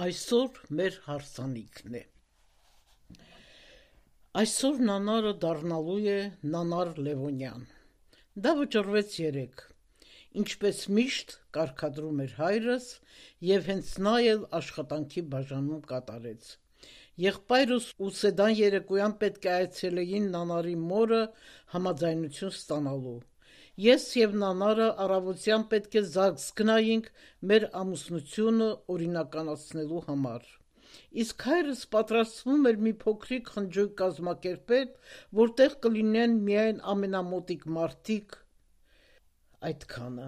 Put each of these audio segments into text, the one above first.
Այսօր մեր հարսանիքն է։ Այսօր նանարը դառնալու է Նանար Լևոնյան։ Դա վճռվեց երեկ, ինչպես միշտ կարգադրում էր հայրս, եւ հենց նա էլ աշխատանքի բաժանում կատարեց։ Եղբայրս ու Սեդան երեկոյան պետք է այցելեին Նանարի մորը համաձայնություն ստանալու։ Ես եւ Նանարը առավոտյան պետք է զանգ գնայինք մեր ամուսնությունը օրինականացնելու համար։ Իսկ հայրս պատրաստվում էր մի փոքրիկ խնջույք կազմակերպել, որտեղ կլինեն միայն ամենամոտիկ մարդիկ, այդքանը։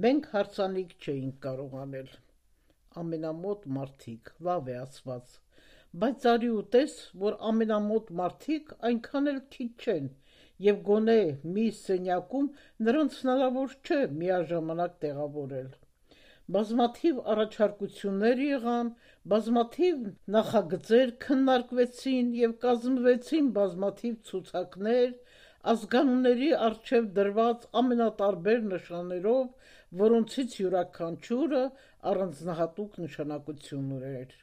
Մենք հարսանիք չէինք կարող անել։ Ամենամոտ մարդիկ, լավ է ասված, բայց արի ու տես, որ ամենամոտ մարդիկ այնքան էլ քիչ չեն, եւ գոնե մի սենյակում նրանց հնարավոր չէ միաժամանակ տեղավորել։ Բազմաթիվ առաջարկություններ եղան, բազմաթիվ նախագծեր քննարկվեցին եւ կազմվեցին բազմաթիվ ցուցակներ, ազգանունների առջև դրված ամենատարբեր նշաններով, որոնցից յուրաքանչյուրը առանձնահատուկ նշանակություն ուներ։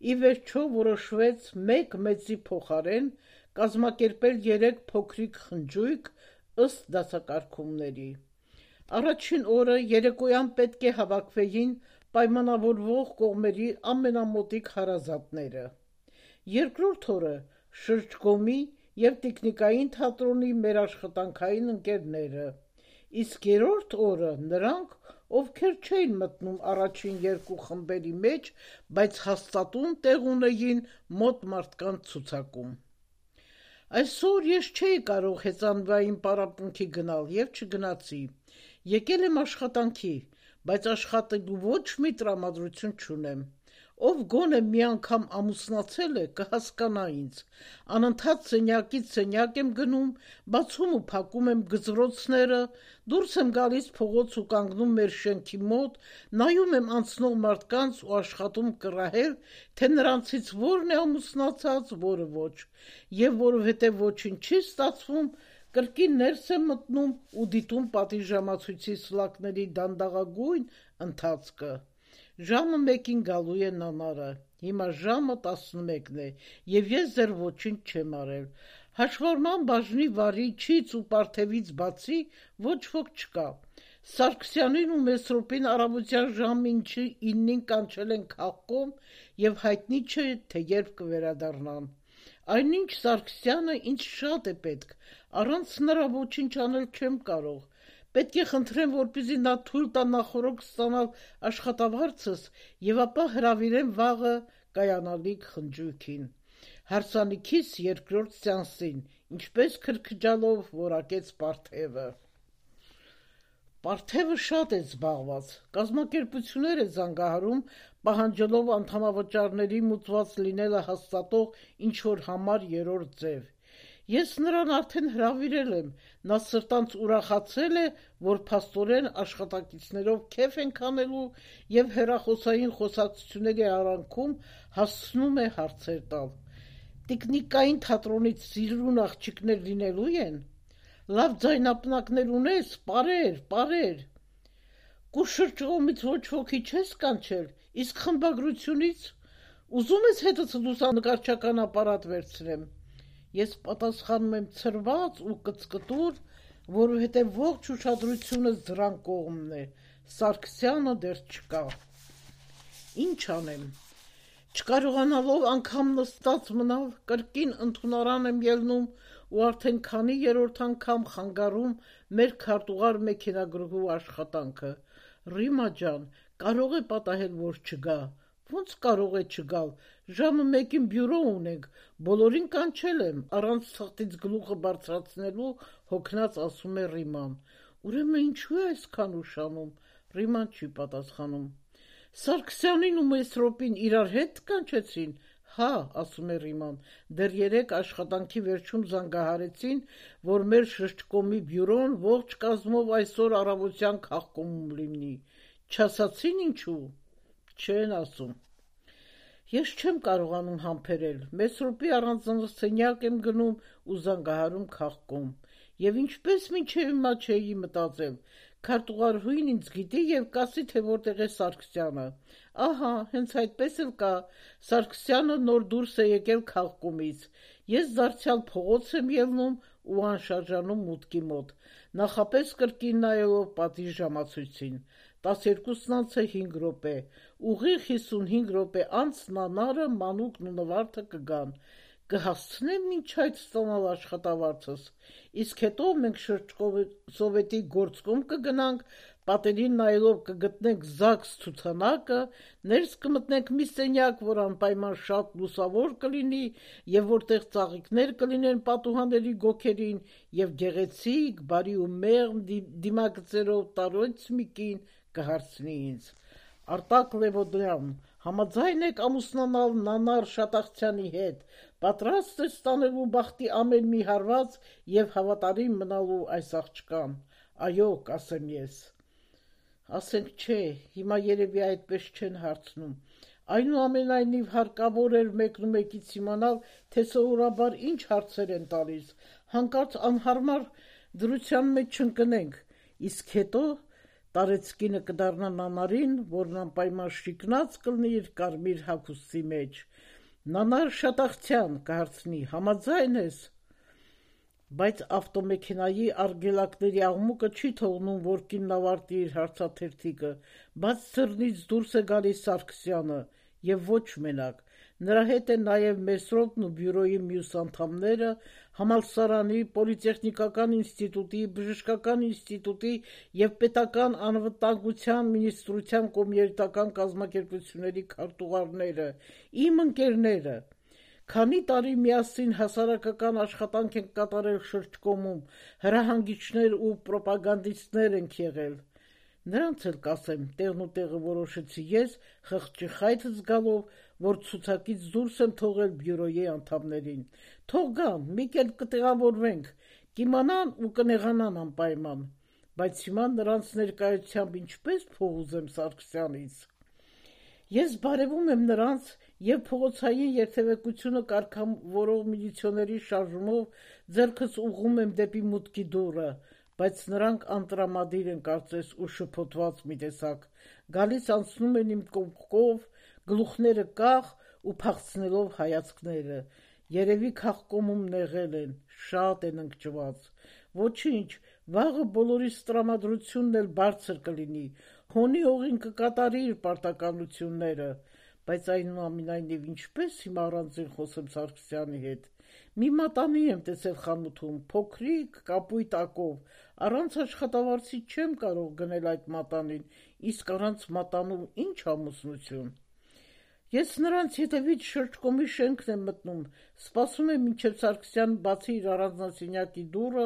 Ի վերջո որոշվեց մեկ մեծի փոխարեն կազմակերպել 3 փոքրիկ խնջույք ըստ դասակարգումների։ Առաջին օրը երեկոյան պետք է հավաքվեին պայմանավորվող կողմերի ամենամոտիկ հարազատները։ Երկրորդ օրը շրջկոմի եւ տիկնիկային թատրոնի մեր աշխատանքային ընկերները, իսկ երրորդ օրը նրանք, ովքեր չէին մտնում առաջին 2 խմբերի մեջ, բայց հաստատուն տեղ ունեին մոտ մարդկանց ցուցակում։ Այսօր ես չէի կարող հեծանվային պարապմունքի գնալ եւ չգնացի։ Եկել եմ աշխատանքի, բայց աշխատելու ոչ մի տրամադրություն չունեմ։ Ով գոնե մի անգամ ամուսնացել է, կհասկանա ինձ։ Անընդհատ սենյակից սենյակ եմ գնում, բացում ու փակում եմ գծրոցները, դուրս եմ գալիս փողոց ու կանգնում մեր շենքի մոտ, նայում եմ անցնող մարդկանց ու աշխատում կռահել, թե նրանցից որն է ամուսնացած, որը ոչ, եւ որովհետեւ ոչինչ չի ստացվում, կրկին ներս եմ մտնում ու դիտում պատիժամացույցի սլակների դանդաղագույն ընթացքը։ Ժամը 1-ին գալու է Նանարը, հիմա ժամը 11-ն է, եւ ես դեռ ոչինչ չեմ արել։ Հաշվառման բաժնի վարիչից ու Պարթևից բացի ոչ ոք չկա։ Սարգսյանին ու Մեսրոպին առավոտյան ժամը 9-ին կանչել են քաղաքում եւ հայտնի չէ, թե երբ կվերադառնան։ Այնինչ Սարգսյանը ինձ շատ է պետք, առանց նրա ոչինչ անել չեմ կարող։ Պետք է խնդրեմ, որպեսզի նա թույլ տա նախօրոք ստանալ աշխատավարձս եւ ապա հրավիրեմ վաղը կայանալիք խնջույքին։ Հարսանիքիս երկրորդ սեանսին, ինչպես քրքջալով որակեց Պարթևը։ Պարթևը շատ է զբաղված, կազմակերպություններ է զանգահարում, պահանջելով անդամավճարների մուծված լինելը հաստատող ինչ-որ համար 3-րդ ձև։ Ես նրան արդեն հրավիրել եմ, նա սրտանց ուրախացել է, որ փաստորեն աշխատակիցներով քեֆ ենք անելու եւ հեռախոսային խոսակցությունների արանքում հասցնում է հարցեր տալ։ Տիկնիկային թատրոնից սիրուն աղջիկներ լինելու են։ Լավ ձայնապնակներ ունես, պարեր։ Կուշրջողումից ոչ ոքի չես կանչել, իսկ խմբագրությունից ուզում ես հետս լուսանկարչական ապարատ վերցնեմ։ Ես պատասխանում եմ ցրված ու կծկտուր, որովհետև ողջ ուշադրությունս դրան կողմն է, Սարգսյանը դեռ չկա։ Ինչ անեմ։ Չկարողանալով անգամ նստած մնալ, կրկին ընդունարան եմ ելնում ու արդեն քանի երրորդ անգամ խանգարում մեր քարտուղար մեքենագրուհու աշխատանքը։ Ռիմա ջան, կարող է պատահել, որ չգա։ Ոնց կարող է չգալ, ժամը 1-ին բյուրո ունենք, բոլորին կանչել եմ, առանց թղթից գլուխը բարձրացնելու հոգնած ասում է Ռիման։ Ուրեմն ինչու է այսքան ուշանում, Ռիման չի պատասխանում։ Սարգսյանին ու Մեսրոպին իրար հետ կանչեցին, հա, ասում է Ռիման, դեռ երեկ աշխատանքի վերջում զանգահարեցին, որ մեր շրջկոմի բյուրոն ողջ կազմով այսօր առավոտյան քաղաքում լինի, չասացին ինչու, չեն ասում։ Ես չեմ կարողանում համբերել, Մեսրոպի առանձնահատուկ սենյակ եմ գնում ու զանգահարում քաղաքում, եւ ինչպես մինչեւ հիմա չէի մտածել, քարտուղարուհին ինձ գիտի եւ կասի, թե որտեղ է Սարգսյանը։ Ահա, հենց այդպես էլ կա, Սարգսյանը նոր դուրս է եկել քաղաքումից։ Ես դարձյալ փողոց եմ ելնում ու անշարժանում մուտքի մոտ, նախապես կրկին նայելով պատի ժամացույցին։ 12:05 րոպե, ուղիղ 55 րոպե անց Նանարը, Մանուկն ու Նվարդը կգան։ Կհասցնեմ մինչ այդ ստանալ աշխատավարձս, իսկ հետո մենք շրջկովի գործկոմ կգնանք, պատերին նայելով կգտնենք ԶԱԳՍ ցուցանակը, ներս կմտնենք մի սենյակ, որ անպայման շատ լուսավոր կլինի եւ որտեղ ծաղիկներ կլինեն պատուհանների գոգերին եւ գեղեցիկ, բարի ու մեղմ դիմագծերով տարոց մի կին կհարցնի ինձ. Արտակ Լևոդյան, համաձայն եք ամուսնանալ Նանար Շատախցյանի հետ, պատրաստ է ստանելու բախտի ամեն մի հարված եւ հավատարիմ մնալու այս աղջկան։ Այո, կասեմ ես։ Ասենք չէ, հիմա երևի այդպես չեն հարցնում։ Այնուամենայնիվ հարկավոր էր մեկնումեկից իմանալ, թե սովորաբար ինչ հարցեր են տալիս, հանկարծ անհարմար դրության մեջ չընկնենք, իսկ հետո տարեցկինը կդառնա Նանարին, որն անպայման շիկնած կլինի իր կարմիր հագուստի մեջ։ Նանար Շատախցյան, կհարցնի, համաձայն ես։ Բայց ավտոմեքենայի արգելակների աղմուկը չի թողնում, որ կինն ավարտի իր հարցաթերթիկը, բաց ծռնից դուրս է գալիս Սարգսյանը, եւ ոչ մենակ։ Նրա հետ են նաեւ Մեսրոպն ու բյուրոյի մյուս անդամները, համալսարանի, պոլիտեխնիկական ինստիտուտի, բժշկական ինստիտուտի եւ պետական անվտանգության մինիստրության կոմերցիական կազմակերպությունների քարտուղարները, իմ ընկերները։ Քանի տարի միասին հասարակական աշխատանք ենք կատարել շրջկոմում, հրահանգիչներ ու պրոպագանդիստներ ենք եղել։ Նրանց էլ կասեմ, տեղն ու տեղը որոշեցի ես, խղճի խայթ զգալով, որ ցուցակից դուրս եմ թողել բյուրոյի անդամներին։ Թող գան, մի կերպ կտեղավորվենք, կիմանան ու կնեղանան անպայման։ Բայց հիմա նրանց ներկայությամբ ինչպես փող ուզեմ Սարգսյանից։ Ես բարևում եմ նրանց եւ փողոցային երթևեկությունը կարգավորող միլիցիոների շարժումով ձեռքս ուղղում եմ դեպի մուտքի դուռը, բայց նրանք անտրամադիր են կարծես ու շփոթված մի տեսակ, գալիս անցնում են իմ կողքով, գլուխները կախ ու փախցնելով հայացքները, երևի քաղկոմում նեղել են, շատ են ընկճված, ոչինչ, վաղը բոլորիս տրամադրությունն էլ բարձր կլինի, հոնի հողին կկատարի իր պարտականությունները, բայց այնուամենայնիվ ինչպես հիմա առանձին խոսեմ Սարգսյանի հետ, մի մատանի եմ տեսել խանութում, փոքրիկ, կապույտ ակով, առանց աշխատավարձի չեմ կարող գնել այդ մատանին, իսկ առանց մատանու ինչ ամուսնություն։ Ես նրանց հետևից շրջկոմի շենքն եմ մտնում, սպասում եմ մինչև Սարգսյան բացի իր առանձնասենյակի դուռը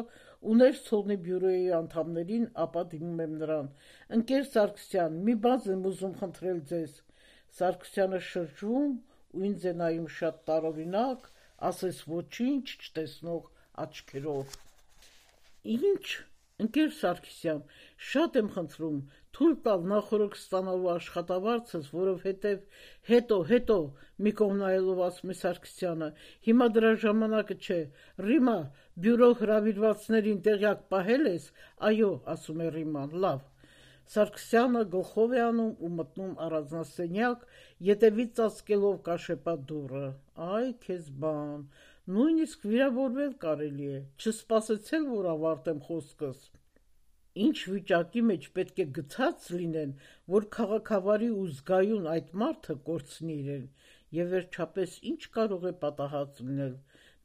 ու ներս թողնի բյուրոյի անդամներին, ապա դիմում եմ նրան. ընկեր Սարգսյան, մի բան եմ ուզում խնդրել ձեզ։ Սարգսյանը շրջվում ու ինձ է նայում շատ տարօրինակ, ասես ոչինչ չտեսնող աչքերով։ Ինչ, ընկեր Սարգսյան, շատ եմ խնդրում, թույլ տալ նախորդ ստանալու աշխատավարձս, որովհետև հետո մի կողմ նայելով ասում է Սարգսյանը, հիմա դրա ժամանակը չէ, Ռիմա, բյուրո հրավիրվածներին տեղյակ պահել ես, այո, ասում է Ռիման, լավ։ Սարգսյանը գլխով է անում ու մտնում առանձնասենյակ, ետևից ծածկելով կաշեպատ դուռը, այ քեզ բան, նույնիսկ վիրավորվել կարելի է, չսպասեցել, որ ավարտեմ խոսքս։ Ինչ վիճակի մեջ պետք է գցած լինեն, որ քաղաքավարի ու զգայուն այդ մարդը կորցնի իրեն, եւ վերջապես ինչ կարող է պատահած լինել։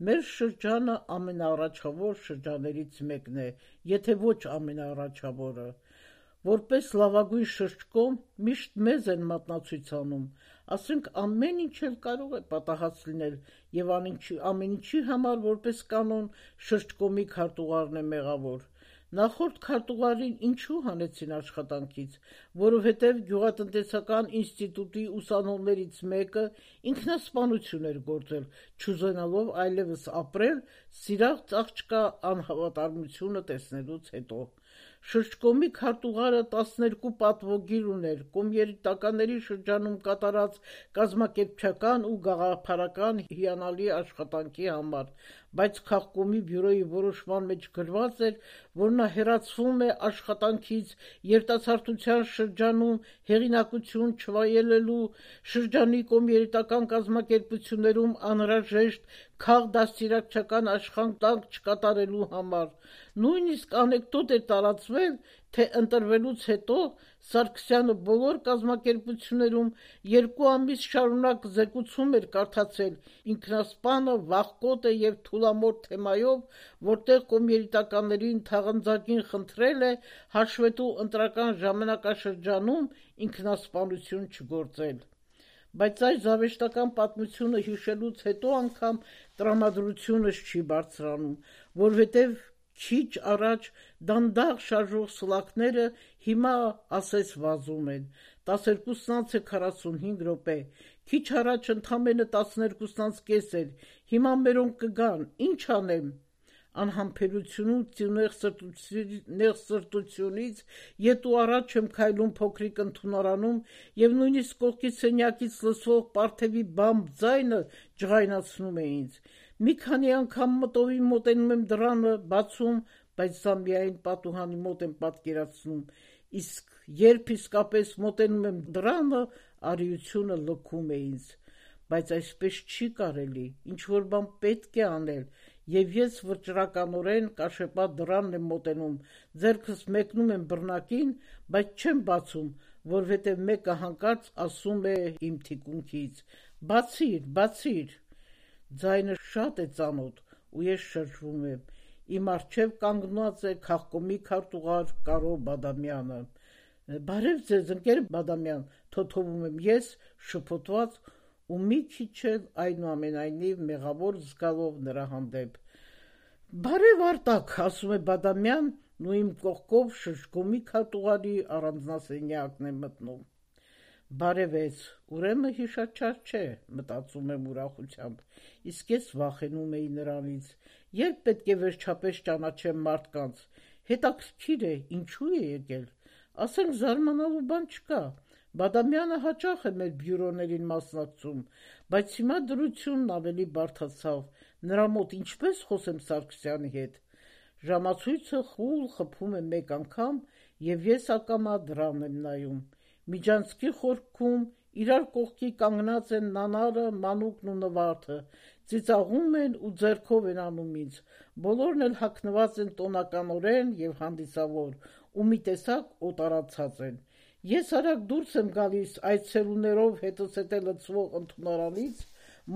Մեր շրջանը ամենաառաջավոր շրջաներից մեկն է, եթե ոչ ամենաառաջավորը։ Որպես լավագույն շրջկոմ միշտ մեզ են մատնացույց անում, ասենք ամեն ինչ էլ կարող է պատահած լինել եւ ամեն ինչի համար որպես կանոն շրջկոմի քարտուղարն է մեղավոր։ Նախորդ քարտուղարին ինչու հանեցին աշխատանքից, որովհետև գյուղատնտեսական ինստիտուտի ուսանողներից մեկը ինքնասպանություն էր գործել, չուզենալով այլևս ապրել, սիրած աղջկա անհավատարմությունը տեսնելուց հետո։ Շրջկոմի քարտուղարը 12 պատվոգիր ուներ կոմերիտականների շրջանում կատարած կազմակերպչական ու գաղափարական հիանալի աշխատանքի համար, բայց քաղաքոմի բյուրոյի որոշման մեջ գրված էր, որ նա հեռացվում է աշխատանքից երիտասարդության շրջանում հեղինակություն չվայելելու, շրջանի կոմերիտական կազմակերպություններում անհրաժեշտ քաղդաստիարակչական աշխատանք չկատարելու համար։ Նույնիսկ անեկդոտ էր տարածվել, թե ընտրվելուց հետո Սարգսյանը բոլոր կազմակերպություններում 2 ամիս շարունակ զեկուցում էր կարդացել ինքնասպանը, վախկոտ է եւ թուլամորթ թեմայով, որտեղ կոմերիտականներին թաղանձակին խնդրել է հաշվետու ընտրական ժամանակաշրջանում ինքնասպանություն չգործել։ Բայց այս զավեշտական պատմությունը հիշելուց հետո անգամ տրամադրությունս չի բարձրանում, որովհետև քիչ առաջ դանդաղ շարժող սլաքները հիմա ասես վազում են, 12:45 րոպե, քիչ առաջ ընդամենը 12:30 էր, հիմա մերոնք կգան, ինչ անեմ։ Անհամբերությունից ու նեղսրտությունից ետ ու առաջ եմ քայլում փոքրիկ ընդունարանում եւ նույնիսկ կողքի սենյակից լսվող պարթեւի բամբ ձայնը ջղայնացնում է ինձ։ Մի քանի անգամ մտովին մոտենում եմ դռանը, բացում, բայց սա միայն պատուհանի մոտ եմ պատկերացնում, իսկ երբ իսկապես մոտենում եմ դռանը, արիությունը լքում է ինձ։ Բայց այսպես չի կարելի, ինչ-որ բան պետք է անել, եւ ես վճռականորեն կաշեպատ դռանն եմ մոտենում, ձեռքս մեկնում եմ բռնակին, բայց չեմ բացում, որովհետեւ մեկը հանկարծ ասում է իմ թիկունքից. «Բացիր»։ Ձայնը շատ է ծանոթ, ու ես շրջվում եմ։ Իմ առջև կանգնած է քաղաքոմի քարտուղար Կարո Բադամյանը։ «Բարև ձեզ, ընկեր Բադամյան», թոթովում եմ ես, շփոթված ու մի քիչ էլ այնուամենայնիվ մեղավոր զգալով նրա հանդեպ։ «Բարև Արտակ», ասում է Բադամյանն ու իմ կողքով շշկոմի քարտուղարի առանձնասենյակն է մտնում։ Բարևեց, ուրեմն հիշաչար չէ, մտածում եմ ուրախությամբ, իսկ ես վախենում էի նրանից, երբ պետք է վերջապես ճանաչեմ մարդկանց, հետաքրքիր է, ինչու է եկել, ասենք զարմանալու բան չկա, Բադամյանը հաճախ է մեր բյուրոներին մասնակցում, բայց հիմա դրությունն ավելի բարդացավ, նրա մոտ ինչպես խոսեմ Սարգսյանի հետ, ժամացույցը խուլ խփում է մեկ անգամ եւ ես ակամա դռան եմ նայում, Միջանցքի խորքում իրար կողքի կանգնած են Նանարը, Մանուկն ու Նվարդը, ծիծաղում են ու ձեռքով են անում ինձ, բոլորն էլ հագնված են տոնականորեն եւ հանդիսավոր, ու մի տեսակ օտարացած են։ Ես արագ դուրս եմ գալիս այցելուներով հետս հետ լցվող ընդունարանից,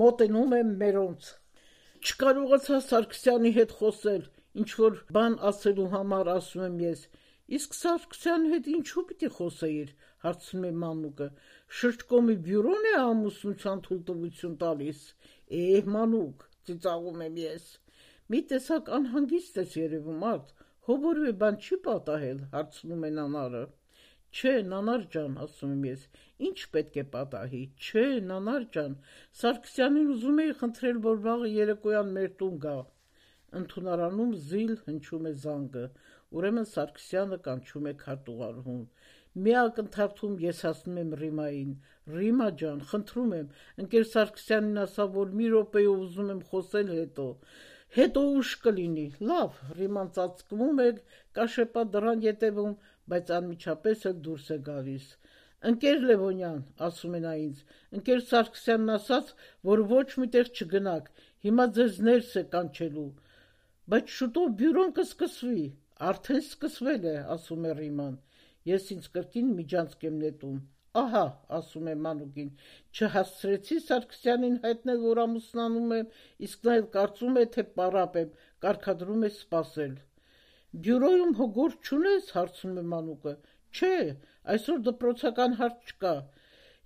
մոտենում եմ մերոնց։ Չկարողացա Սարգսյանի հետ խոսել, ինչ-որ բան ասելու համար ասում եմ ես։ Իսկ Սարգսյանի հետ ինչու պիտի խոսեիր, հարցնում է Մանուկը, շրջկոմի բյուրոն է ամուսնության թույլտվություն տալիս։ Մանուկ, ծիծաղում եմ ես։ Մի տեսակ անհանգիստ ես երևում, Արդ, հոբորվե բան չի պատահել, հարցնում է Նանարը։ Չէ, Նանար ջան, ասում եմ ես, ինչ պետք է պատահի, չէ, Նանար ջան, Սարգսյանին ուզում էի խնդրել, որ վաղը երեկոյան մեր տուն գա։ Ընդունարանում զիլ հնչում է զանգը, ուրեմն Սարգսյանը կանչում է քարտուղարուհուն։ Մի ակնթարթում ես ասում եմ Ռիմային. Ռիմա ջան, խնդրում եմ, ընկեր Սարգսյանին ասա, որ մի րոպեով ուզում եմ խոսել հետո ուշ կլինի։ Լավ, Ռիման ծածկվում է, կաշեպա դռան ետևում, բայց անմիջապես էլ դուրս է գալիս։ Ընկեր Լևոնյան, ասում է նա ինձ, ընկեր Սարգսյանն ասաց, որ ոչ միտեղ չգնաք, հիմա ձեզ ներս է կանչելու, բայց շուտով բյուրոն կսկսվի, արդեն սկսվել է, ասում է Ռիման, ես ինձ կրկին միջանցք եմ նետում, ահա, ասում է Մանուկին, չհասցրեցի Սարգսյանին հայտնել, որ ամուսնանում եմ, իսկ նա էլ կարծում է, թե պարապ եմ, կարգադրում է սպասել։ Բյուրոյում հոգորդ չունես, հարցնում է Մանուկը, չէ, այսօր դպրոցական հարց չկա,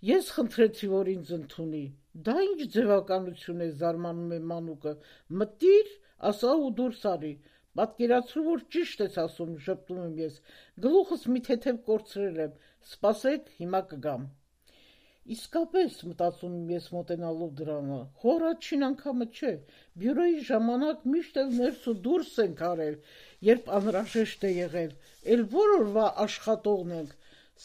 ես խնդրեցի, որ ինձ ընդունի, դա ինչ ձևականություն է, զարմանում է Մանուկը, մտիր, ասա ու դուրս արի, պատկերացրու, որ ճիշտ ես ասում, ժպտում եմ ես, գլուխս մի թեթև կորցրել եմ, սպասեք, հիմա կգամ։ Իսկապես, մտածում եմ ես մոտենալով դրանը, հորաչին անգամը չէ, բյուրոյի ժամանակ միշտ էլ ներս ու դուրս ենք արել, երբ անհրաժեշտ է եղել, էլ որ օրվա աշխատողն ենք,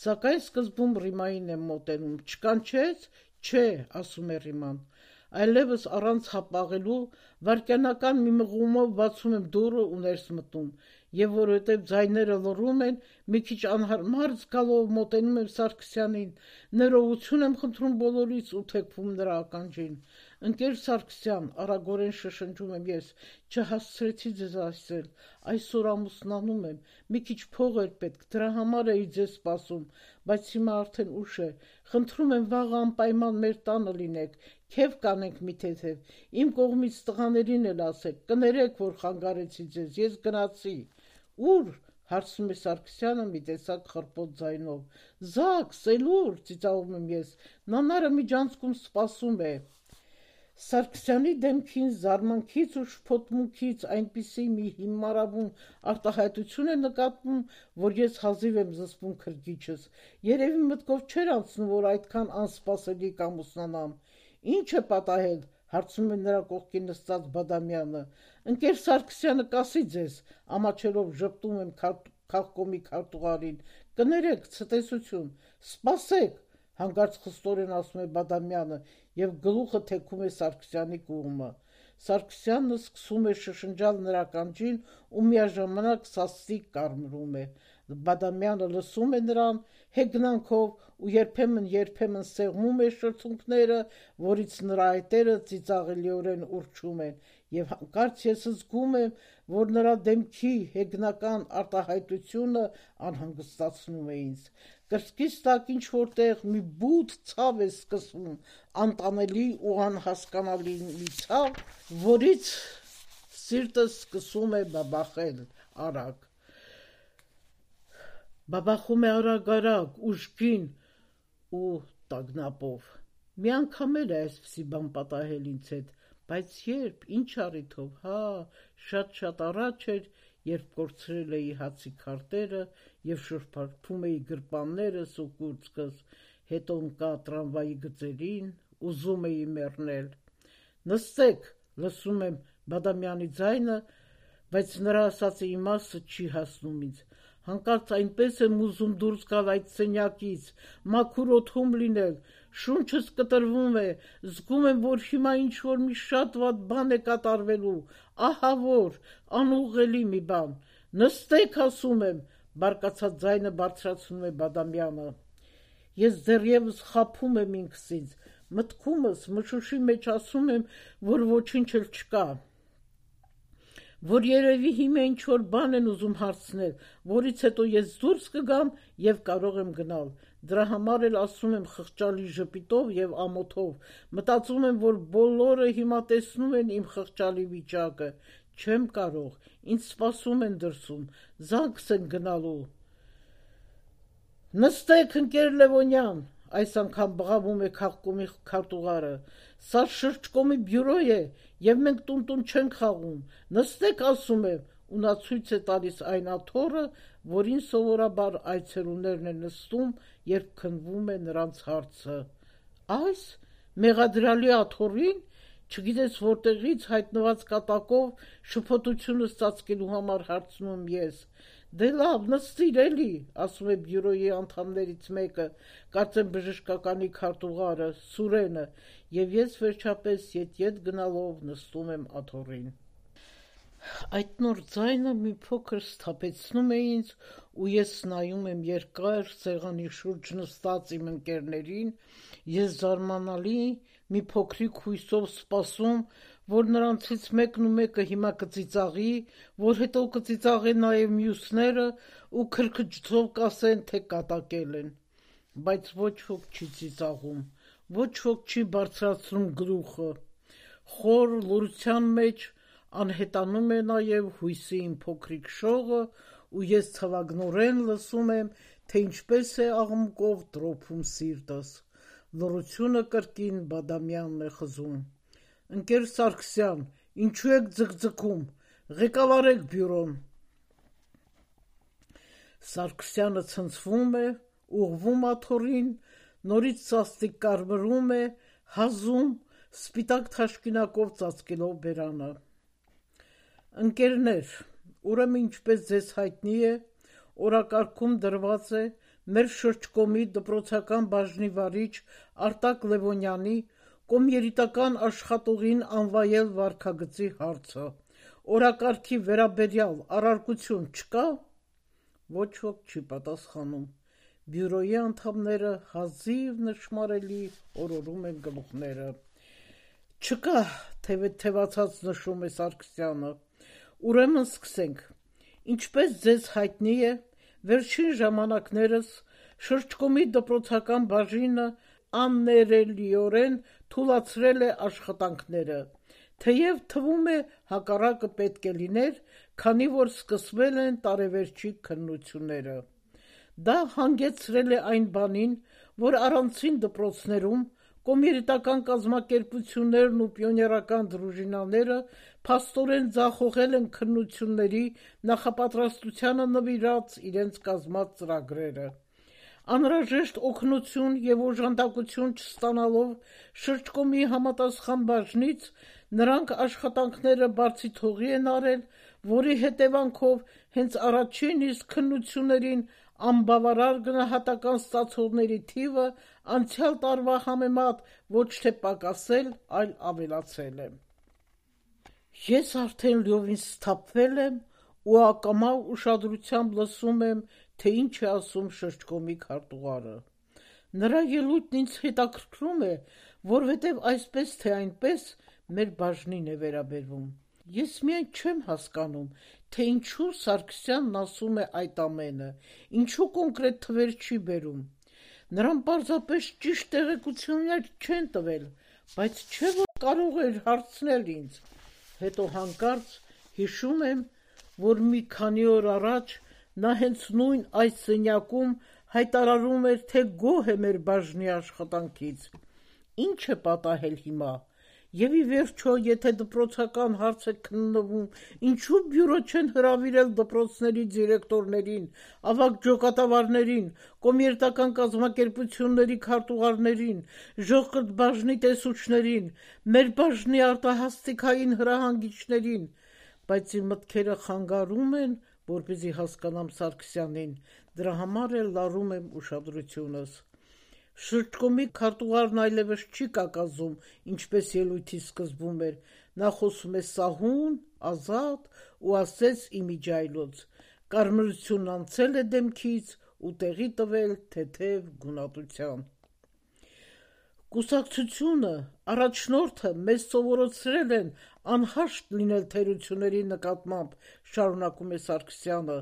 սակայն սկզբում Ռիմային եմ մոտենում, չկանչեց, չէ, ասում է Ռիման, այլևս առանց հապաղելու վայրկյանական մի մղումով բացում եմ դուռը ու ներս մտնում, եւ որովհետեւ ձայները լռում են, մի քիչ անհարմար զգալով մոտենում եմ Սարգսյանին, ներողություն եմ խնդրում բոլորից ու թեքվում նրա ականջին։ Ընկեր Սարգսյան, արագորեն շշնջում եմ ես, չհասցրեցի ձեզ ասել, այսօր ամուսնանում եմ, մի քիչ փող էր պետք, դրա համար էի ձեզ սպասում, բայց հիմա արդեն ուշ է, խնդրում եմ վաղը անպայման մեր տանը լինեք, քեֆ կանենք մի թեթև, իմ կողմից տղաներին էլ ասեք, կներեք, որ խանգարեցի ձեզ, ես գնացի։ Ուր, հարցնում է Սարգսյանը մի տեսակ խռպոտ ձայնով։ Զաքս, էլ ուր, ծիծաղում եմ ես, նանարը միջանցքում սպասում է։ Սարգսյանի դեմքին զարմանքից ու շփոթմունքից այնպիսի մի հիմարավուն արտահայտություն է նկատվում, որ ես հազիվ եմ զսպում քրկիջս։ Երևի մտքով չէր անցնում, որ այդքան անսպասելի կամուսնանամ։ Ինչ է պատահել, հարցնում է նրա կողքին նստած Բադամյանը։ Ընկեր Սարգսյանը կասի ձեզ, ամաչելով ժպտում եմ քաղկոմի քարտուղարին։ Կներեք, ցտեսություն, սպասեք, հանկարծ խստորեն ասում է Բադամյանը եւ գլուխը թեքում է Սարգսյանի կողմը։ Սարգսյանն սկսում է շշնջալ նրա ականջին ու միաժամանակ սաստիկ կարմրում է։ Բադամյանը լսում է նրան հեգնանքով ու երբեմն սեղմում է շրթունքները, որից նրա այտերը ծիծաղելիորեն ուռչում են, եւ հանկարծ ես զգում եմ, որ նրա դեմքի հեգնական արտահայտությունը անհանգստացնում է ինձ։ Կրծքիս տակ ինչ-որտեղ մի բութ ցավ է սկսվում, անտանելի ու անհասկանալի մի ցավ, որից սիրտս սկսում է բաբախել արագ։ Բաբախում է արագ, ուժգին ու տագնապով։ Մի անգամ էլ է այսպիսի բան պատահել ինձ հետ, բայց երբ, ինչ առիթով, շատ առաջ էր, երբ կորցրել էի հացի քարտերը եւ շրփարկում էի գրպաններս ու կուրծքս, հետո ընկա տրամվայի գծերին, ուզում էի մեռնել։ Նստեք, լսում եմ Բադամյանի ձայնը, բայց նրա ասածի իմաստը չի հասնում ինձ։ Հանկարծ այնպես եմ ուզում դուրս գալ այդ սենյակից, մաքուր օդում լինել, շունչս կտրվում է, զգում եմ, որ հիմա ինչ-որ մի շատ վատ բան է կատարվելու, ահա որ, անուղղելի մի բան։ Նստեք, ասում եմ, բարկացած ձայնը բարձրացնում է Բադամյանը։ Ես դեռևս խաբում եմ ինքս ինձ, մտքումս մշուշի մեջ ասում եմ, որ ոչինչ էլ չկա, որ երևի հիմա ինչ-որ բան են ուզում հարցնել, որից հետո ես դուրս կգամ եւ կարող եմ գնալ։ Դրա համար էլ ասում եմ խղճալի ժպիտով եւ ամոթով։ Մտածում եմ, որ բոլորը հիմա տեսնում են իմ խղճալի վիճակը։ Չեմ կարող, ինձ սպասում են դրսում, զանգս են գնալու։ Նստեք, ընկեր Լևոնյան, այս անգամ բղավում է քաղկոմի քարտուղարը։ Սա շրջկոմի բյուրո է եւ մենք տուն չենք խաղում։ Նստեք, ասում եմ, ու նա ցույց է տալիս այն աթոռը, որին սովորաբար այցելուներն են նստում, երբ քննվում է նրանց հարցը։ Այս մեղադրյալի աթոռին, չգիտես որտեղից հայտնված կատակով շփոթությունս ծածկելու համար հարցնում եմ ես։ Դե լավ, նստիր էլի, ասում է բյուրոյի անդամներից մեկը, կարծեմ բժշկականի քարտուղարը, Սուրենը, եւ ես վերջապես ետ գնալով նստում եմ աթոռին։ Այդ նոր ձայնը մի փոքր սթափեցնում է ինձ, ու ես նայում եմ երկար սեղանի շուրջ նստած իմ ընկերներին, ես զարմանալի մի փոքրիկ հույսով սպասում, որ նրանցից մեկն ու մեկը հիմա կծիծաղի, որ հետո կծիծաղեն նաև մյուսները ու քրքջով կասեն, թե կատակել են, բայց ոչ ոք չի ծիծաղում, ոչ ոք չի բարձրացնում գլուխը, խոր լուրության մեջ անհետանում է նաև հույսի իմ փոքրիկ շողը ու ես ցավագնորեն լսում եմ, թե ինչպես է աղմուկով տրոփում սիրտս, լռությունը կրկին Բադամյանն է խզում։ Ընկեր Սարգսյան, ինչու եք ձգձգում, ղեկավարեք բյուրոն։ Սարգսյանը ցնցվում է, ուղղվում աթոռին, նորից սաստիկ կարմրում է, հազում, սպիտակ թաշկինակով ծածկելով բերանը։ Ընկերներ, ուրեմն ինչպես ձեզ հայտնի է, օրակարգում դրված է մեր շրջկոմի դպրոցական բաժնի վարիչ Արտակ Լևոնյանի կոմերիտական աշխատողին անվայել վարքագծի հարցը։ Օրակարգի վերաբերյալ առարկություն չկա։ Ոչ ոք չի պատասխանում։ Բյուրոյի անդամները հազիվ նշմարելի օրորում են գլուխները։ Չկա, թևացած նշում է Սարգսյանը։ Ուրեմն սկսենք։ Ինչպես ձեզ հայտնի է, վերջին ժամանակներս շրջկոմի դպրոցական բաժինը աններելիորեն թուլացրել է աշխատանքները, թեև թվում է հակառակը պետք է լիներ, քանի որ սկսվել են տարեվերջի քննությունները։ Դա հանգեցրել է այն բանին, որ առանցին դպրոցներում կոմերիտական կազմակերպություններն ու պիոներական դրուժինաները փաստորեն ձախողել են քննությունների նախապատրաստությանը նվիրած իրենց կազմած ծրագրերը։ Անհրաժեշտ օգնություն և օժանդակություն չստանալով շրջկոմի համապատասխան բաժնից նրանք աշխատանքները բարձի թողի են արել, որի հետևանքով հենց առաջին իսկ քննություններին անբավարար գնահատական ստացողների թիվը անցյալ տարվա համեմատ ոչ թե պակասել, այլ ավելացել է։ Ես արդեն լիովին սթափվել եմ ու ակամա ուշադրությամբ լսում եմ, թե ինչ է ասում շրջկոմի քարտուղարը։ Նրա ելույթն ինձ հետաքրքրում է, որովհետև այսպես թե այնպես մեր բաժնին է վերաբերվում։ Ես միայն չեմ հասկանում, թե ինչու Սարգսյանն ասում է այդ ամենը, ինչու կոնկրետ թվեր չի բերում։ Նրան պարզապես ճիշտ տեղեկություններ չեն տվել, բայց չէ՞ որ կարող էր հարցնել ինձ։ Հետո հանկարծ հիշում եմ, որ մի քանի օր առաջ նա հենց նույն այս սենյակում հայտարարում էր, թե գոհ է մեր բաժնի աշխատանքից։ Ինչ է պատահել հիմա։ Եվ ի վերջո, եթե դպրոցական հարց է քննվում, ինչու բյուրո չեն հրավիրել դպրոցների դիրեկտորներին, ավագ ջոկատավարներին, կոմերիտական կազմակերպությունների քարտուղարներին, ժողկրթ բաժնի տեսուչներին, մեր բաժնի արտահասթիկային հրահանգիչներին, բայց իմ մտքերը խանգարում են, որպեսզի հասկանամ Սարգսյանին, դրա համար էլ լարում եմ ուշադրությունս։ Շրջկոմի քարտուղարն այլևս չի կակազում, ինչպես ելույթի սկզբում էր, նա խոսում է սահուն, ազատ ու ասեց իմիջիայլոց, կարմրությունն անցել է դեմքից ու տեղի տվել թեթև գունատության։ Կուսակցությունը, առաջնորդը մեզ սովորեցրել են անհաշտ լինել թերությունների նկատմամբ, շարունակում է Սարգսյանը,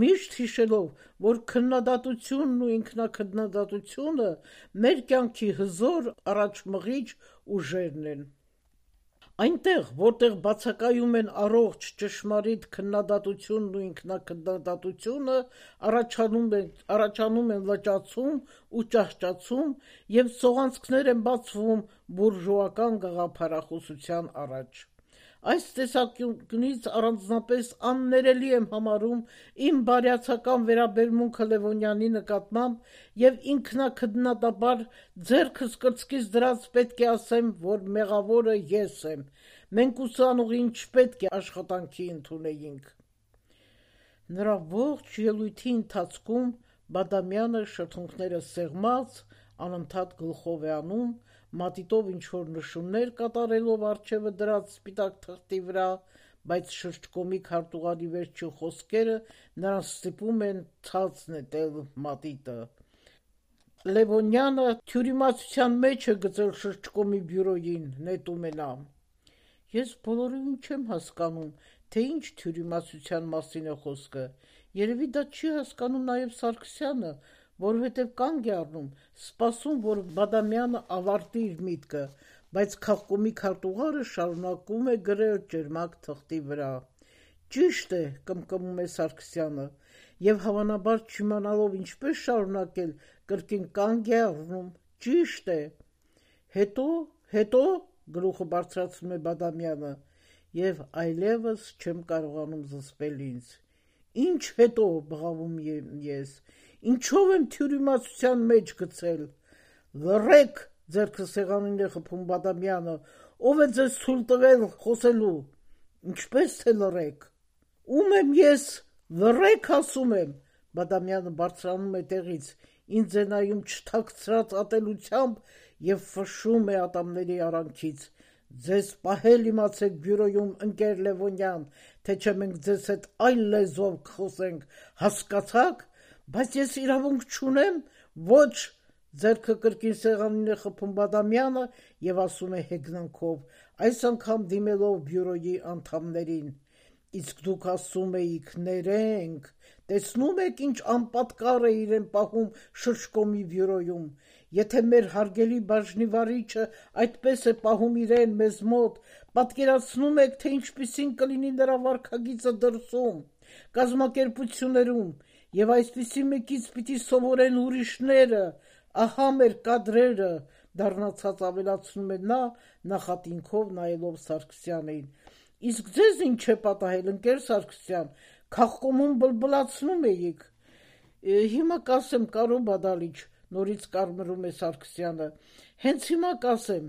միշտ հիշելով, որ քննադատությունն ու ինքնաքննադատությունը մեր կյանքի հզոր առաջմղիչ ուժերն են։ Այնտեղ, որտեղ բացակայում են առողջ ճշմարիտ քննադատությունն ու ինքնաքննադատությունը, առաջանում են լճացում ու ճահճացում և սողանցքներ են բացվում բուրժուական գաղափարախոսության առաջ։ Այս տեսանկյունից առանձնապես աններելի եմ համարում իմ բարյացակամ վերաբերմունքը Լևոնյանի նկատմամբ և ինքնաքննադատաբար ձեռքս կրծքից դրած պետք է ասեմ, որ մեղավորը ես եմ, մենք ուսանողին չպետք է աշխատանքի ընդունեինք։ Նրա ողջ ելույթի ընթացքում Բադամյանը շրթունքները սեղմած, անընդհատ գլխով է անում, մատիտով ինչ-որ նշումներ կատարելով առջևը դրած սպիտակ թղթի վրա, բայց շրջկոմի քարտուղարի վերջին խոսքերը նրան ստիպում են ցած նետել մատիտը։ Լևոնյանը թյուրիմացության մեջ է գցել շրջկոմի բյուրոյին, նետում է նա։ Ես բոլորովին չեմ հասկանում, թե ինչ թյուրիմացության մասին է խոսքը։ Երևի դա չի հասկանում նաև Սարգսյանը, որովհետև կանգ է առնում, սպասում, որ Բադամյանը ավարտի իր միտքը, բայց քաղկոմի քարտուղարը շարունակում է գրել ճերմակ թղթի վրա։ Ճիշտ է, կմկմում է Սարգսյանը, և հավանաբար չիմանալով ինչպես շարունակել, կրկին կանգ է առնում, ճիշտ է։ Հետո, գլուխը բարձրացնում է Բադամյանը, և այլևս չեմ կարողանում զսպել ինձ։ Ինչ հետո, բղավում եմ ես, ինչով եմ թյուրիմացության մեջ գցել։ Լռեք, ձեռքը սեղանին է խփում Բադամյանը, ով է ձեզ թույլ տվել խոսելու։ Ինչպես թե լռեք։ Ում եմ ես, լռեք ասում եմ։ Բադամյանը բարձրանում է տեղից, ինձ է նայում չթաքցրած ատելությամբ եւ ֆշում է ատամների արանքից. «Ձեզ պահել իմացեք բյուրոյում, ընկեր Լևոնյան, թե չէ մենք ձեզ հետ այլ լեզվով կխոսենք, հասկացաք, բայց ես իրավունք չունեմ, ոչ», ձեռքը կրկին սեղանին է խփում Բադամյանը եւ ասում է հեգնանքով, այս անգամ դիմելով բյուրոյի անդամներին. «Իսկ դուք ասում էիք ներենք, տեսնում եք ինչ անպատկառ է իրեն պահում շրջկոմի բյուրոյում, եթե մեր հարգելի բաժնի վարիչը այդպես է պահում իրեն մեզ մոտ, պատկերացնում եք, թե ինչպիսին կլինի նրա վարքագիծը դրսում, կազմակերպություններում, եւ այսպիսի մեկից պիտի սովորեն ուրիշները, ահա մեր կադրերը», դառնացած ավելացնում է նա, նախատինքով նայելով Սարգսյանին. «Իսկ ձեզ ինչ է պատահել, ընկեր Սարգսյան, քաղկոմում բլբլացնում էիք»։ «Հիմա կասեմ, Կարո Բադալիչ», նորից կարմրում է Սարգսյանը, «հենց հիմա կասեմ,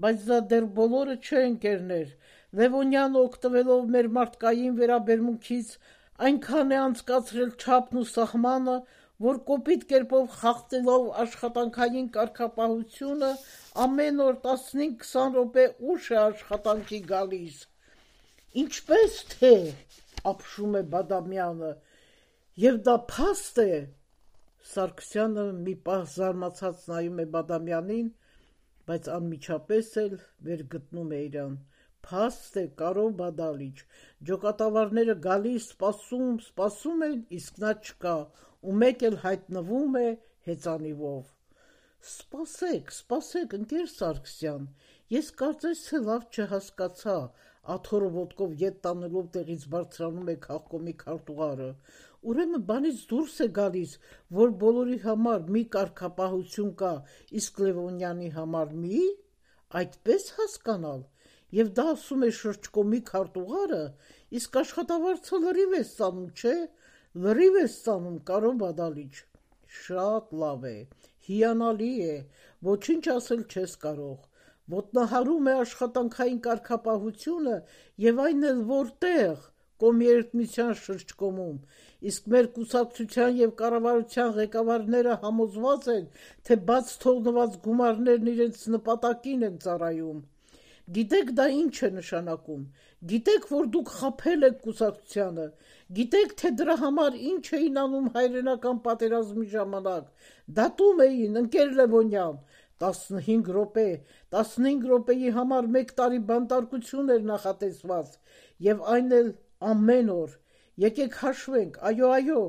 բայց դա դեռ բոլորը չէ, ընկերներ, Լևոնյանը օգտվելով մեր մարդկային վերաբերմունքից այնքան է անցկացրել չափն ու սահմանը, որ կոպիտ կերպով խախտելով աշխատանքային կարգապահությունը ամեն օր 15-20 րոպե ուշ է աշխատանքի գալիս»։ «Ինչպես թե», ապշում է Բադամյանը, «եւ դա փաստ է»։ Սարգսյանը մի պահ զարմացած նայում է Բադամյանին, բայց անմիջապես էլ վերգտնում է իրան. «Փաստ է, Կարո Բադալիչ, ջոկատավարները գալիս, սպասում են, իսկ նա չկա, ու մեկ էլ հայտնվում է հեծանիվով»։ Սպասեք, ընկեր Սարգսյան, ես կարծես թե լավ չհասկացա, աթոռը ոտքով ետ տանելով տեղից բարձրանում է քաղկոմի քարտուղարը, ուրեմն բանից դուրս է գալիս, որ բոլորի համար մի կարգապահություն կա, իսկ Լևոնյանի համար մի՞, այդպես հասկանալ, եւ դա ասում է շրջկոմի քարտուղարը, իսկ աշխատավարձը լրիվ է ստանում, չէ՞, լրիվ է ստանում, Կարո Բադալիչ։ Շատ լավ է, հիանալի է, ոչինչ ասել չես կարող, ոտնահարում է աշխատանքային կարգապահությունը եւ այն էլ որտեղ, Կոմերցիոն շրջկոմում, իսկ մեր կուսակցության եւ կառավարության ղեկավարները համոզված են, թե բաց թողնված գումարներն իրենց նպատակին են ծառայում։ Գիտեք դա ինչ է նշանակում, գիտեք, որ դուք խաբել եք կուսակցությանը, գիտեք, թե դրա համար ինչ էին անում հայրենական պատերազմի ժամանակ, դատում էին, ընկեր Լևոնյան, 15 րոպեի համար 1 տարի բանտարկություն էր նախատեսված, եւ այն էլ ամեն օր։ Եկեք հաշվենք, այո,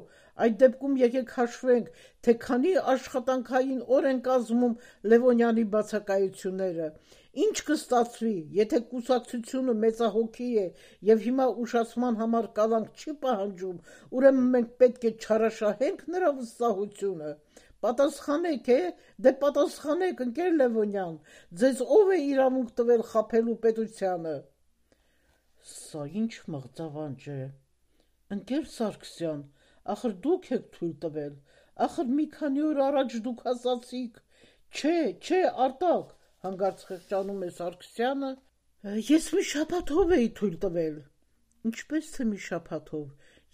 այդ դեպքում եկեք հաշվենք, թե քանի աշխատանքային օր են կազմում Լևոնյանի բացակայությունները։ Ինչ կստացվի, եթե կուսակցությունը մեծահոգի է եւ հիմա ուշացման համար կալանք չի պահանջում, ուրեմն մենք պետք է չարաշահենք նրա վստահությունը։ Պատասխանեք, դե պատասխանեք, ընկեր Լևոնյան, ձեզ ով է իրավունք տվել խաբելու պետությանը։ Սա ինչ մղձավանջ է։ Ընկեր Սարգսյան, ախր դուք եք թույլ տվել, ախր մի քանի օր առաջ դուք ասացիք։ Չէ, Արտակ, հանկարծ խղճանում է Սարգսյանը, ես մի շաբաթով էի թույլ տվել։ Ինչպես թե մի շաբաթով,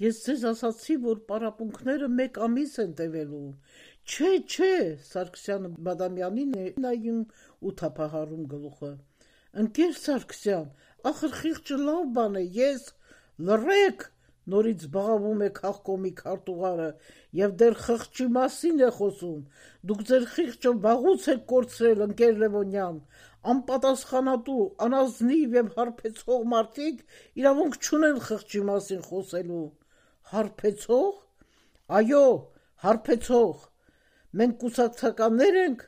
ես ձեզ ասացի, որ պարապմունքները 1 ամիս են տևելու։ Չէ, Սարգսյանը Բադամյանին է նայում ու թափահարում գլուխը։ Ընկեր Սարգսյան, ախր խիղճը լավ բան է, ես լռեք, նորից բղավում է քաղկոմի քարտուղարը, եւ դեռ խղճի մասին է խոսում։ Դուք ձեր խիղճը վաղուց եք կորցրել, ընկեր Լևոնյան, անպատասխանատու, անազնիվ եւ հարբեցող մարդիկ իրավունք չունեն խղճի մասին խոսելու։ Հարբեցող։ Այո, հարբեցող։ Մենք կուսակցականներ ենք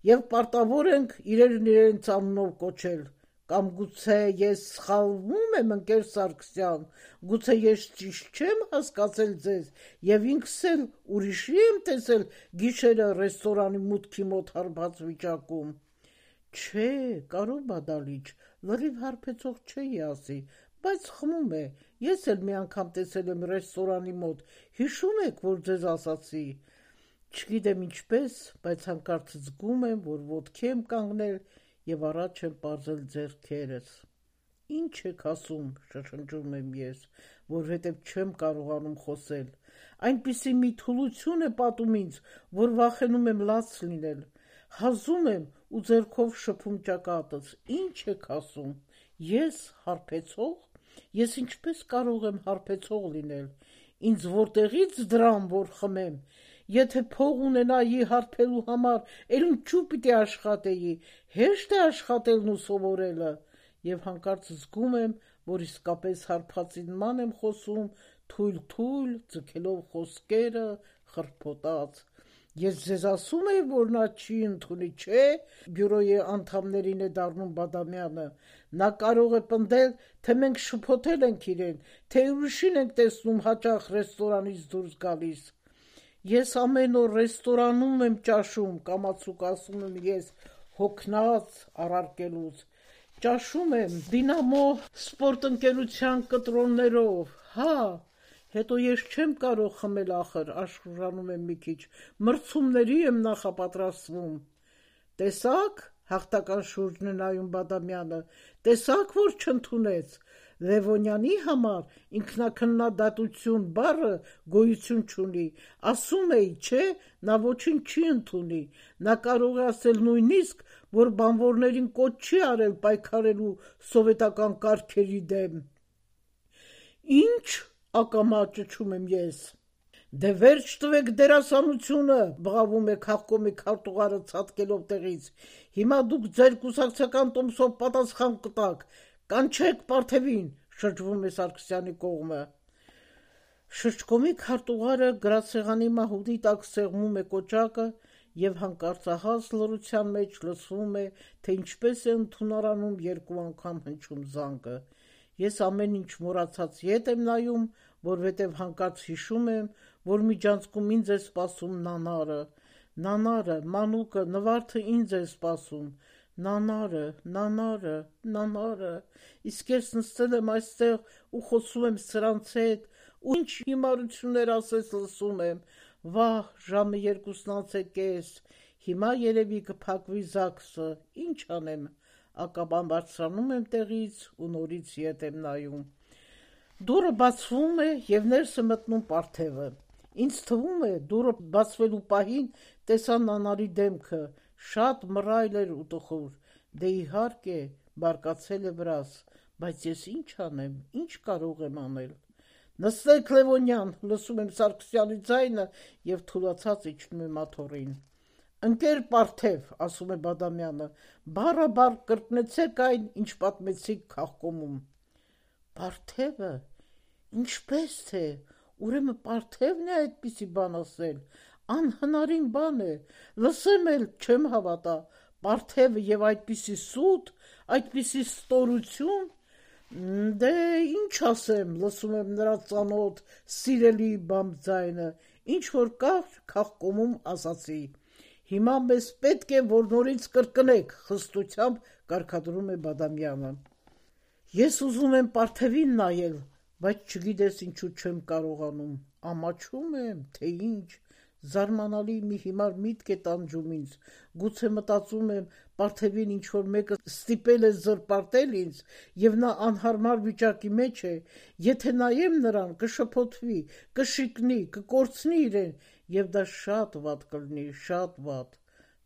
եւ պարտավոր ենք իրեն իրենց անունով կոչել։ Կամ գուցե ես սխալվում եմ, ընկեր Սարգսյան, գուցե ես ճիշտ չեմ հասկացել ձեզ եւ ինքս էլ ուրիշի եմ տեսել գիշերը ռեստորանի մուտքի մոտ հարբած վիճակում։ Չէ, Կարո Բադալիչ, լրիվ հարբեցող չէի ասի, բայց խմում է, ես էլ մի անգամ տեսել եմ ռեստորանի մոտ, հիշում եք, որ ձեզ ասացի։ Չգիտեմ ինչպես, բայց հանկարծ զգում եմ, որ ոտքի եմ կանգնել եւ առաջ եմ պարզել ձեռքերս։ Ինչ եք ասում, շշնջում եմ ես, որովհետեւ չեմ կարողանում խոսել։ Այնպիսի մի թուլություն է պատում ինձ, որ վախենում եմ լաց լինել։ Հազում եմ ու ձեռքով շփում ճակատս, ինչ եք ասում, ես հարբեցող, ես ինչպես կարող եմ հարբեցող լինել, ինձ որտեղից դրամ, որ խմեմ, եթե փող ունենայի հարբելու համար, էլ ինչու պիտի աշխատեի, հեշտ է աշխատելն ու սովորելը, և հանկարծ զգում եմ, որ իսկապես հարբածի նման եմ խոսում, թույլ-թույլ, ձգելով խոսքերը, խրփոտած: Ես ձեզ ասում եմ, որ նա չի ընդունի, չէ՞, բյուրոյի անդամներին է դառնում Բադամյանը, նա կարող է պնդել, թե մենք շփոթել ենք իրեն, թե ուրիշին ենք տեսնում հաճախ ռեստորանից դուրս գալիս: Ես ամեն օր ռեստորանում եմ ճաշում, կամացուկ ասում եմ ես, հոգնած առարկելուց, ճաշում եմ Դինամո սպորտնկերության կտրոններով, հա, հետո ես չեմ կարող խմել ախր, աշխուժանում եմ մի քիչ, մրցումների եմ նախապատրաստվում: Տեսա՞ք, հաղթական շուրջն է նայում Բադամյանը, տեսա՞ք, որ չընդունեց: Լևոնյանի համար ինքնաքննադատություն բառը գոյություն չունի, ասում էի, չէ, նա ոչինչ չի ընդունի, նա կարող է ասել նույնիսկ, որ բանվորներին կոչ չի արել պայքարելու սովետական կարգերի դեմ: Ի՞նչ, ակամա ճչում եմ ես: Դե վերջ տվեք դերասանությունը, բղավում է քաղկոմի քարտուղարը ցատկելով տեղից, հիմա դուք ձեր կուսակցական տոմսով պատասխան կտաք, կանչեք Պարթևին, շրջվում է Սարգսյանի կողմը: Շրջկոմի քարտուղարը գրասեղանի մահուդի տակ սեղմում է կոճակը և հանկարծահաս լռության մեջ լսվում է, թե ինչպես է ընդունարանում երկու անգամ հնչում զանգը: Ես ամեն ինչ մոռացած ետ եմ նայում, որովհետև հանկարծ հիշում եմ, որ միջանցքում ինձ է սպասում Նանարը, մանուկը, Նվարդը ինձ է սպասում, Նանարը, իսկ ես նստել եմ այստեղ ու խոսում եմ սրանց հետ, ու ինչ հիմարություններ ասես լսում եմ, վահ, ժամը 2:30, հիմա երևի կփակվի ԶԱԳՍ-ը, ինչ անեմ, ակամա բարձրանում եմ տեղից ու նորից ետ եմ նայում: Դուռը բացվում է և ներս է մտնում Պարթևը: Ինձ թվում է, դուռը բացվելու պահին տեսա Նանարի դեմքը, շատ մռայլ էր ու տխուր, դե իհարկե, բարկացել է վրաս, բայց ես ինչ անեմ, ինչ կարող եմ անել: Նստեք Լևոնյան, լսում եմ Սարգսյանի ձայնը և թուլացած իջնում եմ աթոռին: Ընկեր Պարթև, ասում է Բադամյանը, բառաբար կրկնեցեք այն, ինչ պատմեցիք քաղկոմում: Պարթևը, ինչպե՞ս թե, ուրեմն Պարթևն է այդպիսի բան ասել, անհնարին բան է, լսեմ էլ չեմ հավատա, Պարթևը և այդպիսի սուտ, այդպիսի ստորություն: Դե ինչ ասեմ, լսում եմ նրա ծանոթ, սիրելի բամբձայնը, ինչ-որ կար քաղկոմում ասացի: Հիմա մեզ պետք է, որ նորից կրկնեք, խստությամբ կարգադրում է Բադամյանը: Ես ուզում եմ Պարթևին նայել, բայց չգիտես ինչու չեմ կարողանում, ամաչում եմ, թե ինչ, զարմանալի մի հիմար միտք է տանջում ինձ, գուցե մտածում եմ, Պարթևին ինչ-որ մեկը ստիպել է զրպարտել ինձ և նա անհարմար վիճակի մեջ է, եթե նայեմ նրան, կշփոթվի, կշիկնի, կկորցնի իրեն և դա շատ վատ կլինի, շատ վատ,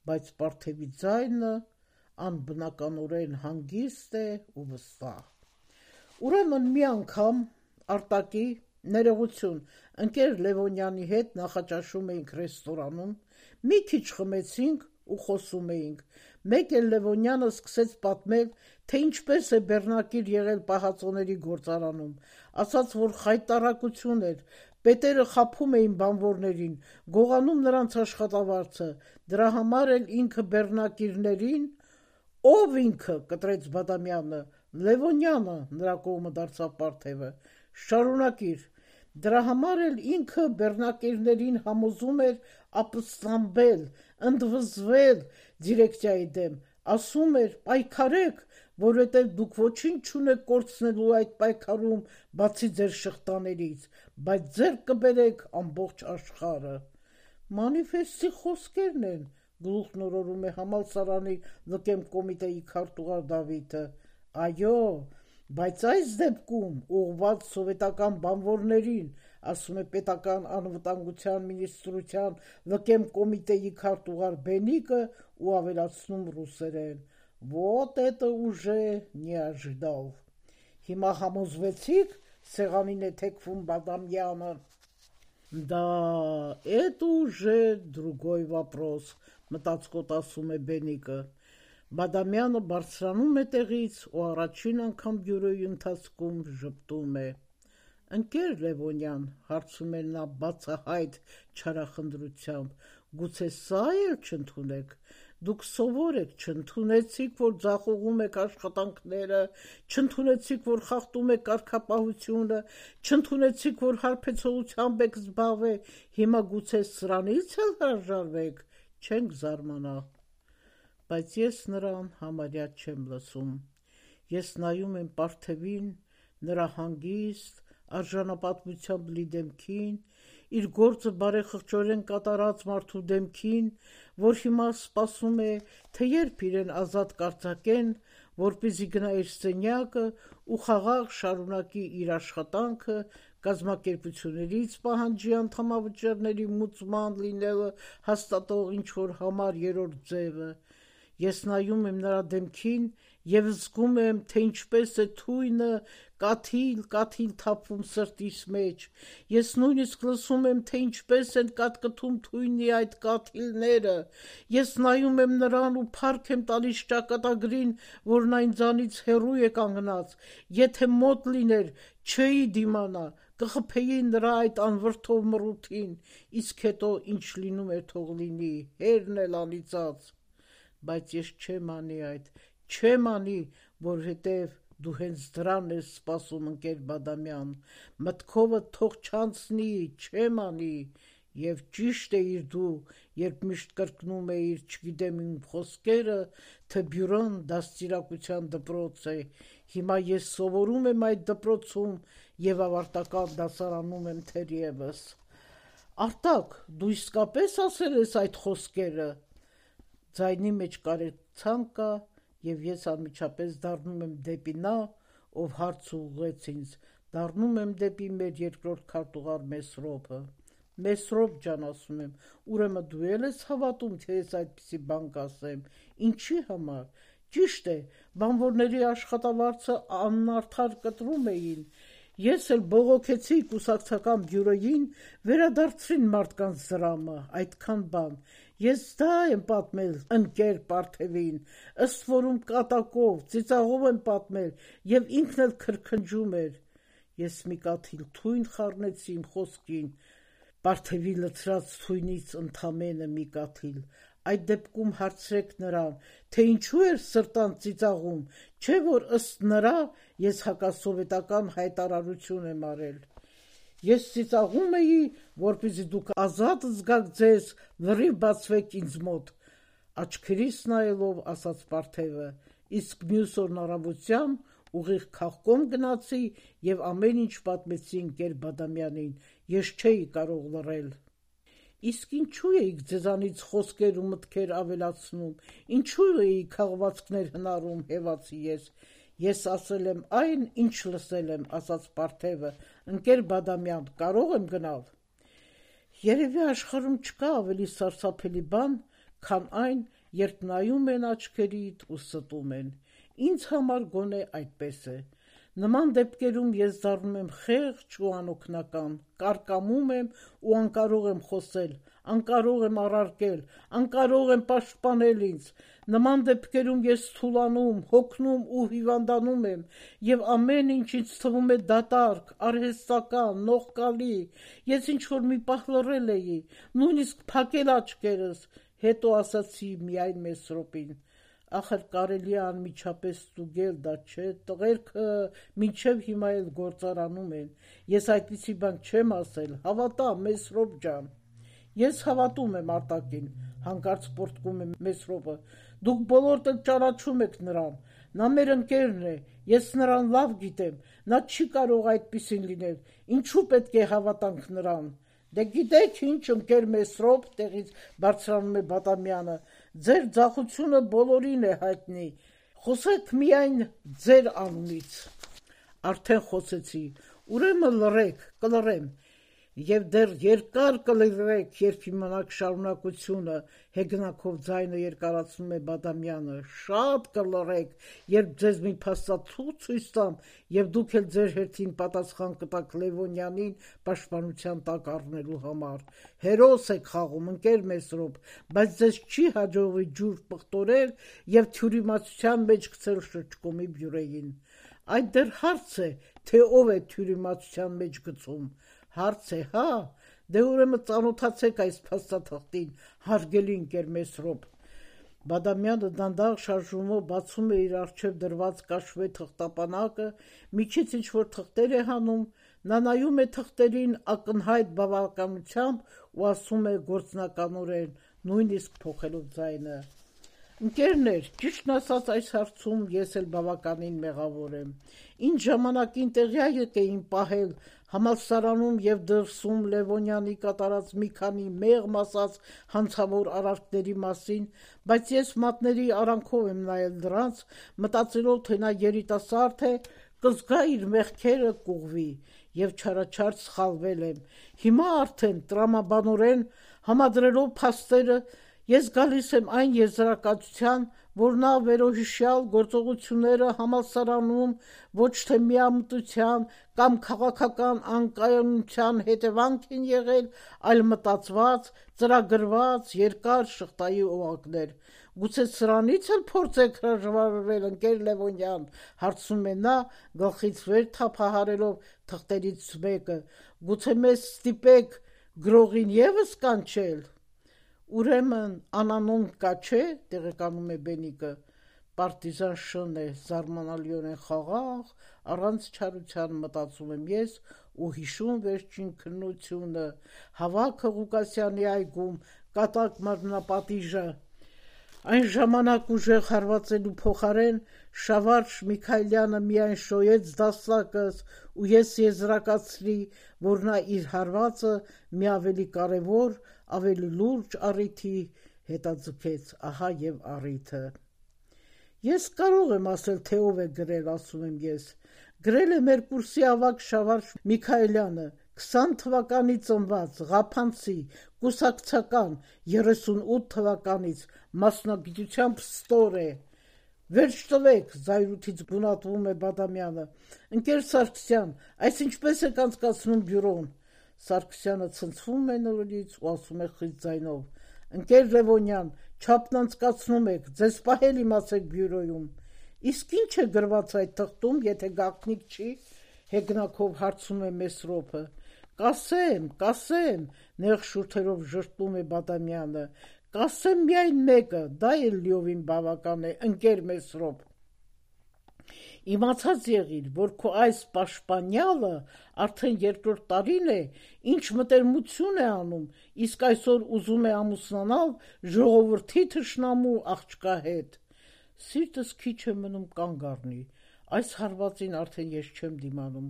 բայց Պարթևի ձայնը անբնականորեն հանգիստ է ու վստահ: Ուրեմն մի անգամ, Արտակի, ներողություն, ընկեր Լևոնյանի հետ նախաճաշում էինք ռեստորանում, մի քիչ խմեցինք ու խոսում էինք, մեկ էլ Լևոնյանը սկսեց պատմել, թե ինչպես է բեռնակիր եղել պահածոների գործարանում, ասաց, որ խայտառակություն էր, պետերը խաբում էին բանվորներին, գողանում նրանց աշխատավարձը, դրա համար էլ ինքը բեռնակիրներին: Ո՞վ ինքը, կտրեց Բադամյանը: Լևոնյանը, նրա կողմը դարձավ Պարթևը: Շարունակիր: Դրա համար էլ ինքը բեռնակիրներին համոզում էր ապստամբել, ընդվզվել դիրեկցիայի դեմ, ասում էր պայքարեք, որովհետև դուք ոչինչ չունեք կորցնելու այդ պայքարում բացի ձեր շղթաներից, բայց ձեռք կբերեք ամբողջ աշխարհը: Մանիֆեստի խոսքերն են, գլուխն օրորում է համալսարանի ԼԿ կոմիտեի քարտուղար Դավիթը: Այո, բայց այս դեպքում ուղղված սովետական բանվորներին, ասում է պետական անվտանգության մինիստրության ԼԿ կոմիտեի քարտուղար Բենիկը ու ավելացնում ռուսերեն. «Вот это уже не ожидал»։ Հիմա համոզվեցիք, սեղանին է թեքվում Բադամյանը։ «Да, это уже другой вопрос», մտածկոտ ասում է Բենիկը։ Բադամյանը բարձրանում է տեղից ու առաջին անգամ բյուրոյի ընթացքում ժպտում է։ «Ընկեր Լևոնյան», հարցում է նա բացահայտ չարախնդրությամբ, «գուցե սա էլ չընդունեք։ Դուք սովոր եք, չընդունեցիք, որ ձախողում եք աշխատանքները, չընդունեցիք, որ խախտում եք կարգապահությունը, չընդունեցիք, որ հարբեցողությամբ եք զբաղվել, հիմա գուցե սրանից էլ հրաժարվեք, չենք զարմանա»։ Բայց ես նրան համարյա չեմ լսում։ Ես նայում եմ Պարթևին, նրա հանգիստ, արժանապատվությամբ լի դեմքին, իր գործը բարեխղճորեն կատարած մարդու դեմքին, որ հիմա սպասում է, թե երբ իրեն ազատ կարձակեն, որպեսզի գնա իր սենյակը ու խաղաղ շարունակի իր աշխատանքը, կազմակերպություններից պահանջի անդամավճարների մուծման լինելը հաստատող ինչ-որ համար երրորդ ձևը։ Ես նայում եմ նրա դեմքին և զգում եմ, թե ինչպես է թույնը կաթիլ թափվում սրտիս մեջ։ Ես նույնիսկ լսում եմ, թե ինչպես են կատկտում թույնի այդ կաթիլները։ Ես նայում եմ նրան ու փառք եմ տալիս ճակատագրին, որն այն ձանից հեռու է կանգնած։ Եթե մոտ լիներ, չէի դիմանա, կխփեի նրա այդ անվրդով մռութին, իսկ հետո ինչ լինում էր թող լինի, հերն էլ անիծած։ Բայց ես չեմ անի այդ, չեմ անի, որովհետև դու հենց դրան ես սպասում, ընկեր Բադամյան, մտքովդ թող չանցնի, չեմ անի։ Եվ ճիշտ էիր դու, երբ միշտ կրկնում էիր, չգիտեմ իմ խոսքերը, թե բյուրոն դաստիարակության դպրոց է։ Հիմա ես սովորում եմ այդ դպրոցում և ավարտական դասարանում եմ թերևս։ Արտակ, դու իսկապես ասել ես այդ խոսքերը։ Ձայնի մեջ կարեկցանք կա, և ես անմիջապես դառնում եմ դեպի նա, ով հարց ուղղեց ինձ, դառնում եմ դեպի մեր երկրորդ քարտուղար Մեսրոպը։ Մեսրոպ ջան, ասում եմ, ուրեմն դու էլ ես հավատում, թե ես այդպիսի բան կասեմ, ինչի համար։ Ճիշտ է, բանվորների աշխատավարձը անարդար կտրում էին։ Ես էլ բողոքեցի կուսակցական բյուրոյին վերադարձրին մարդկանց դրամը, այդքան բան։ Ես դա եմ պատմել ընկեր Պարթևին, ըստ որում կատակով, ծիծաղով եմ պատմել, և ինքն էլ քրքնջում էր։ Ես մի կաթիլ թույն խառնեցի իմ խոսքին, Պարթևի լցրած թույնից ընդամենը մի կաթիլ։ Այդ դեպքում հարցրեք նրան, թե ինչու էր սրտան ծիծաղում, չէ՞ որ ըստ նրա ես հակասովետական հայտարարություն եմ արել։ Ես ծիծաղում էի, որպեսզի դուք ազատ զգաք ձեզ, լրիվ բացվեք ինձ մոտ, աչքերիս նայելով ասաց Պարթևը, իսկ մյուս օրն առավոտյան ուղիղ քաղկոմ գնացի և ամեն ինչ պատմեցի ընկեր Բադամյանին, ես չէի կարող լռել։ Իսկ ինչու էիք ձեզանից խոսքեր ու մտքեր ավելացնում, ինչու էիք քաղվածքներ հնարում, հևացի ես։ Ես ասել եմ այն, ինչ լսել եմ, ասաց Պարթևը, ընկեր Բադամյան, կարող եմ գնալ։ Երևի աշխարհում չկա ավելի սարսափելի բան, քան այն, երբ նայում են աչքերիդ ու ստում են։ Ինձ համար գոնե այդպես է։ Նման դեպքերում ես դառնում եմ խեղճ ու անօգնական, կարկամում եմ ու անկարող եմ խոսել, անկարող եմ առարկել, անկարող եմ պաշտպանել ինձ։ Նման դեպքերում ես թուլանում, հոգնում ու հիվանդանում եմ, և ամեն ինչ ինձ թվում է դատարկ, արհեստական, նողկալի։ Ես ինչ-որ մի պահ լռել էի, նույնիսկ փակել աչքերս, հետո ասացի միայն Մեսրոպին. ախր կարելի է անմիջապես ստուգել դա, չէ՞, տղերքը մինչև հիմա էլ գործարանում են։ Ես այդպիսի բան չեմ ասել, հավատա, Մեսրոպ ջան։ Ես հավատում եմ Արտակին, հանկարծ պոռթկում է Մեսրոպը։ Դուք բոլորդ էլ ճանաչում եք նրան։ Նա մեր ընկերն է, ես նրան լավ գիտեմ, նա չի կարող այդպիսին լինել։ Ինչու պետք է հավատանք նրան։ Դե գիտեք ինչ, ընկեր Մեսրոպ, տեղից բարձրանում է Բադամյանը, ձեր ձախությունը բոլորին է հայտնի, խոսեք միայն ձեր անունից։ Արդեն խոսեցի, ուրեմն լռեք, կլռեմ։ Եվ դեռ երկար կլրեք, երբ իմանաք շարունակությունը, հեգնակով ձայնը երկարացնում է Բադամյանը, շատ կլրեք, երբ ձեզ մի փաստաթուղթ ցույց տամ, եւ դուք էլ ձեր հերթին պատասխան կտաք Լևոնյանին պաշտպանության տակ առնելու համար։ Հերոս եք խաղում, ընկեր Մեսրոպ, բայց ձեզ չի հաջողվի ջուր պղտորել եւ թյուրիմացության մեջ գցել շրջկոմի բյուրեին։ Այդ դեռ հարց է, թե ով է թյուրիմացության մեջ գցում։ Հարց է, հա, դե ուրեմն ծանոթացեք այս փաստաթղթին, հարգելի ընկեր Մեսրոպ։ Բադամյանը դանդաղ շարժումով բացում է իր առջև դրված կաշվե թղթապանակը, միջից ինչ-որ թղթեր է հանում, նա նայում է թղթերին ակնհայտ բավականությամբ ու ասում է գործնականորեն, նույնիսկ փոխելով ձայնը. Ընկերներ, ճիշտն ասած այս հարցում ես էլ բավականին մեղավոր եմ։ Ինչ ժամանակին տեղյակ էին պահել համալսարանում եւ դրսում Լևոնյանի կատարած մի քանի մեղմ ասած հանցավոր արարքների մասին, բայց ես մատների արանքով եմ նայել դրանց, մտածելով, թե նա երիտասարդ է, կզգա իր մեղքերը կուղվի, եւ չարաչար սխալվել եմ։ Հիմա արդեն տրամաբանորեն համադրելով փաստերը ես գալիս եմ այն եզրակացության, որ նա վերոհիշյալ գործողությունները համալսարանում ոչ թե միամտության կամ քաղաքական անկայունության հետևանք են եղել, այլ մտածված, ծրագրված երկար շղթայի օղակներ։ Գուցե սրանից էլ փորձեք հրաժարվել, ընկեր Լևոնյան, հարցնում է նա, գլխից վեր թափահարելով թղթերից մեկը։ Գուցե մեզ ստիպեք գրողին եւս կանչել։ Ուրեմն անանուն կա չէ, տեղեկանում է Բենիկը, պարտիզան շն է, զարմանալիորեն խաղաղ, առանց չարության մտածում եմ ես ու հիշում վերջին քննությունը, հավաքը Ղուկասյանի այգում, կատակ մարմնապատիժը։ Այն ժամանակ ուժեղ հարվածելու փոխարեն Շավարժ Միքայելյանը միայն շոյեց դաստակս ու ես եզրակացրի, որ նա իր հարվածը մի ավելի կարևոր, ավելի լուրջ առիթի հետաձգեց, ահա եւ առիթը։ Ես կարող եմ ասել, թե ով է գրել, ասում եմ ես։ Գրել է մեր կուրսի ավագ Շավարժ Միքայելյանը, 20 թվականի ծնված, Ղափանցի, կուսակցական, 38 թվականից, մասնագիտությամբ ստոր է։ Վերջ տվեք, զայրույթից բունատվում է Բադամյանը։ Ընկեր Սարգսյան, այս ինչպես եք անցկացնում բյուրոն։ Սարգսյանը ցնցվում է նորից ու ասում է խիստ ձայնով. Ընկեր Լևոնյան, չափն անցկացնում եք, ձեզ պահել իմացեք բյուրոյում։ Իսկ ինչ է գրված այդ թղթում, եթե գաղտնիք չի, հեգնակով հարցում է Մեսրոպը։ Կասեմ, նեղ շուրթերով ժշտում է Բադամյանը, կասեմ միայն մեկը, դա էլ լիովին բավական է, ընկեր Մեսրոպ։ Իմացած եղիր, որ քո այս պաշտպանյալը արդեն երկրորդ տարին է, ինչ մտերմություն է անում, իսկ այսօր ուզում է ամուսնանալ ժողովրդի թշնամու աղջկա հետ։ Սիրտս քիչ է մնում կանգ առնի, այս հարվածին արդեն ես չեմ դիմանում,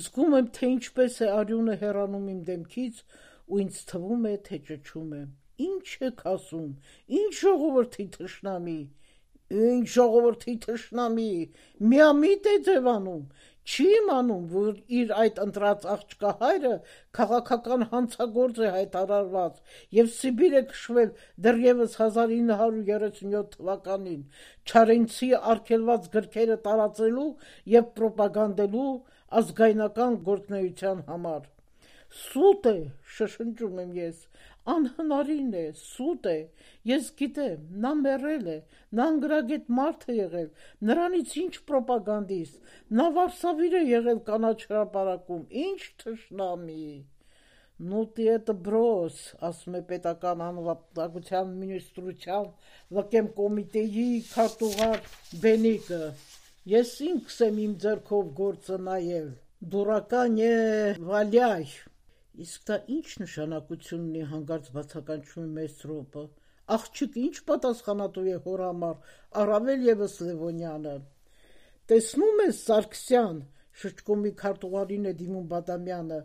զգում եմ, թե ինչպես է արյունը հեռանում իմ դեմքից ու ինձ թվում է, թե ճչում եմ։ Ինչ եք ասում, ինչ ժողովրդի թշնամի, ինչ ժողովրդի թշնամի, միամիտ է ձևանում, չի իմանում, որ իր այդ ընտրած աղջկա հայրը քաղաքական հանցագործ է հայտարարված եւ Սիբիր է քշվել դեռևս 1937 թվականին Չարենցի արգելված գրքերը տարածելու եւ պրոպագանդելու ազգայնական գործնեության համար։ Սուտ է, շշնջում եմ ես, անհնարին է, սուտ է, ես գիտեմ, նա մեռել է, նա անգրագետ մարդ է եղել, նրանից ինչ պրոպագանդիստ, նա վարսավիր է եղել կանաչ հրապարակում, ինչ թշնամի։ Ну ты это брось, ասում է պետական անվտանգության մինիստրության ԼԿՄ կոմիտեի քարտուղար Բենիկը։ Ես ինքս եմ իմ ձեռքով գործը նայել, դուրական է վալյայ։ Իսկ դա ինչ նշանակություն ունի, հանկարծ բացականչում է Մեսրոպը։ Աղջիկը ինչ պատասխանատու է հոր համար, առավել եւս Լևոնյանը։ Տեսնում ես, Սարգսյան, շրջկոմի քարտուղարին է դիմում Բադամյանը,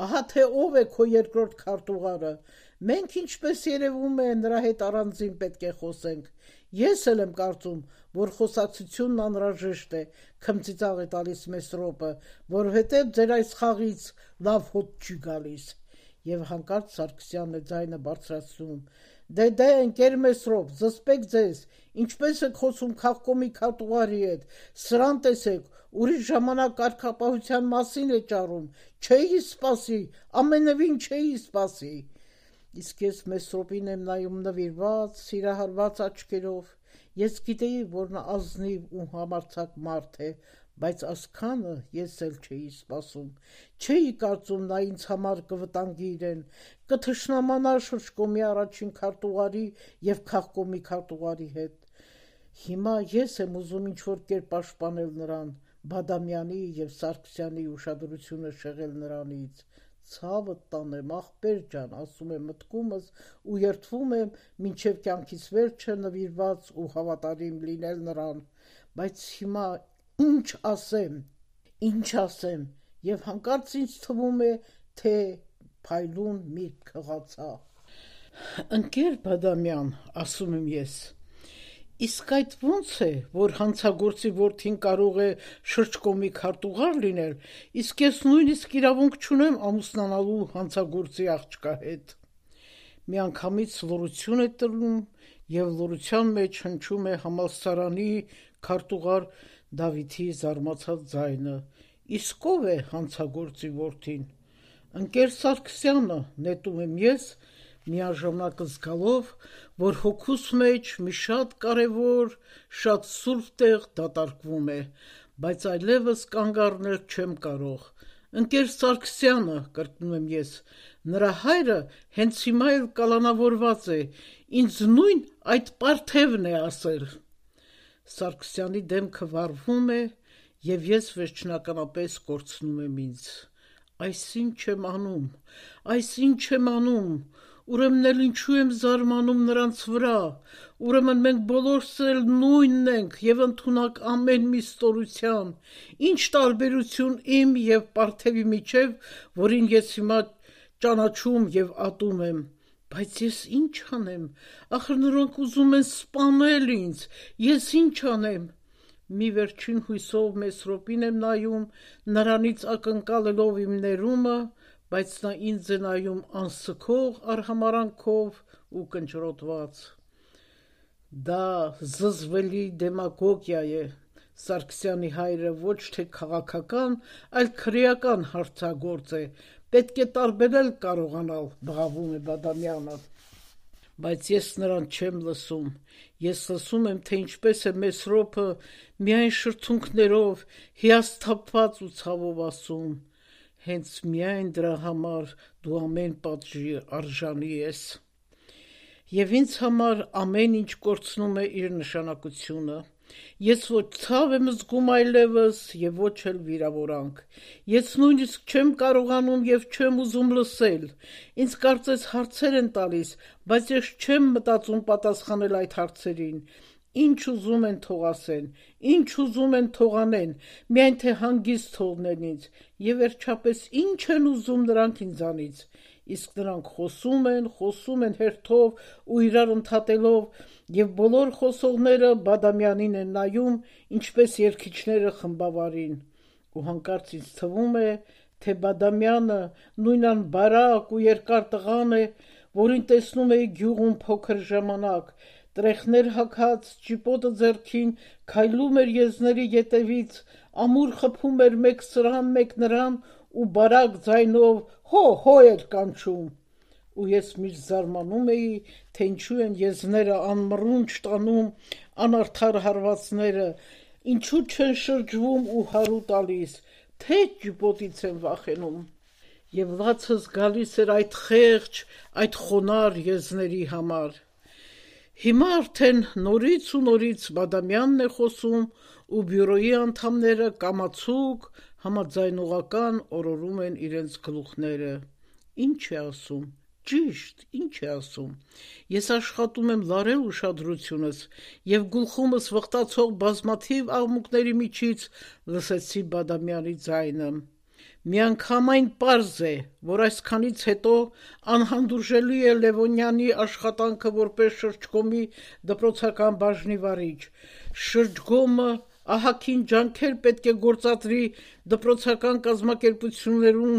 ահա թե ով է քո երկրորդ քարտուղարը։ Մենք ինչպես երևում է նրա հետ առանձին պետք է խոսենք։ Ես էլ եմ կարծում, որ խոսակցությունն անհրաժեշտ է, քմծիծաղ է տալիս Մեսրոպը, որովհետև ձեր այս խաղից լավ հոտ չի գալիս։ Եվ հանկարծ Սարգսյանն է ձայնը բարձրացնում. Դե, ընկեր Մեսրոպ, զսպեք ձեզ, ինչպես եք խոսում քաղկոմի քարտուղարի հետ, սրան տեսեք, ուրիշ ժամանակ կարգապահության մասին է ճառում, չէի սպասի, ամենևին չէի սպասի։ Իսկ ես Մեսրոպին եմ նայում նվիրված, սիրահարված աչքերով, ես գիտեի, որ նա ազնիվ ու համարձակ մարդ է, բայց ասքանը ես էլ չէի սպասում, չէի կարծում նա ինձ համար կվտանգի իրեն, կթշնամանա շրջկոմի առաջին քարտուղարի և քաղկոմի քարտուղարի հետ։ Հիմա ես եմ ուզում ինչ-որ կերպ պաշտպանել նրան, Բադամյանի և Սարգսյանի ուշադրությունը շեղել նրանից։ Ցավդ տանեմ, ախպեր ջան, ասում եմ մտքումս ու երդվում եմ մինչև կյանքիս վերջը նվիրված ու հավատարիմ լինել նրան, բայց հիմա ինչ ասեմ, և հանկարծ ինձ թվում է, թե փայլուն միտք քղացա։ Ընկեր Բադամյան, ասում եմ ես, իսկ այդ ո՞նց է, որ հանցագործի որդին կարող է շրջկոմի քարտուղար լինել, իսկ ես նույնիսկ իրավունք չունեմ ամուսնանալու հանցագործի աղջկա հետ։ Միանգամից լռություն է տրվում և լռության մեջ հնչում է համալսարանի քարտուղար Դավիթի զարմացած ձայնը. իսկ ով է հանցագործի որդին։ Ընկեր Սարգսյանը, նետում եմ ես, միաժամանակ զգալով, որ հոգուս մեջ մի շատ կարևոր, շատ սուրբ տեղ դատարկվում է, բայց այլևս կանգ առնել չեմ կարող։ Ընկեր Սարգսյանը, կրկնում եմ ես, նրա հայրը հենց հիմա էլ կալանավորված է, ինձ նույն այդ պարթևն է ասել։ Սարգսյանի դեմքը վառվում է, և ես վերջնականապես կորցնում եմ ինձ։ Այս ինչ եմ անում, ուրեմն էլ ինչու եմ զարմանում նրանց վրա, ուրեմն մենք բոլորս էլ նույնն ենք և ընդունակ ամեն մի ստորության, ինչ տարբերություն իմ և պարթևի միջև, որին ես հիմա ճանաչում և ատում եմ, բայց ես ինչ անեմ, ախր նրանք ուզում են սպանել ինձ, ես ինչ անեմ։ Մի վերջին հույսով Մեսրոպին եմ նայում, նրանից ակնկալելով իմ ներումը, բայց նա ինձ է նայում անսքող արհամարհանքով ու կնճռոտված։ Դա զզվելի դեմագոգիա է, Սարգսյանի հայրը ոչ թե քաղաքական, այլ քրեական հանցագործ է, պետք է տարբերել կարողանալ, բղավում է Բադամյանը։ Բայց ես նրան չեմ լսում, ես լսում եմ, թե ինչպես է Մեսրոպը միայն շրթունքներով, հիասթափված ու ցավով ասում. հենց միայն դրա համար դու ամեն պատժի արժանի ես։ Եվ ինձ համար ամեն ինչ կորցնում է իր նշանակությունը։ Ես ոչ ցավ եմ զգում այլևս և ոչ էլ վիրավորանք։ Ես նույնիսկ չեմ կարողանում և չեմ ուզում լսել։ Ինձ կարծես հարցեր են տալիս, բայց ես չեմ մտածում պատասխանել այդ հարցերին։ Ինչ ուզում են թող ասեն, ինչ ուզում են թող անեն, միայն թե հանգիստ թողնեն ինձ, և վերջապես ինչ են ուզում նրանք ինձանից։ Իսկ նրանք խոսում են հերթով ու իրար ընդհատելով, և բոլոր խոսողները Բադամյանին են նայում, ինչպես երգիչները խմբավարին։ Ու հանկարծ ինձ թվում է, թե Բադամյանը նույն անբարակ ու երկար տղան է, որին տեսնում էի գյուղում փոքր ժամանակ, տրեխներ հագած, ճիպոտը ձեռքին, քայլում էր եզների ետևից, ամուր խփում էր մեկ սրան, մեկ նրան ու բարակ ձայնով հո էր կանչում։ Ու ես միշտ զարմանում էի, թե ինչու են եզները անմռունչ տանում անարդար հարվածները, ինչու չեն շրջվում ու հարու տալիս, թե ճիպոտից են վախենում։ Եվ լացս գալիս էր այդ խեղճ, այդ խոնարհ եզների համար։ Հիմա արդեն նորից ու նորից Բադամյանն է խոսում ու բյուրոյի անդամները կամացուկ, համաձայնողական օրորում են իրենց գլուխները։ Ինչ է ասում, ճիշտ, ինչ է ասում։ Ես աշխատում եմ լարել ուշադրությունս և գլխումս վխտացող բազմաթիվ աղմուկների միջից լսեցի Բադամյանի ձայնը։ Միանգամայն պարզ է, որ այսքանից հետո անհանդուրժելի է Լևոնյանի աշխատանքը որպես շրջկոմի դպրոցական բաժնի վարիչ։ Շրջգոմը ահագին ջանքեր պետք է գործադրի դպրոցական կազմակերպություններում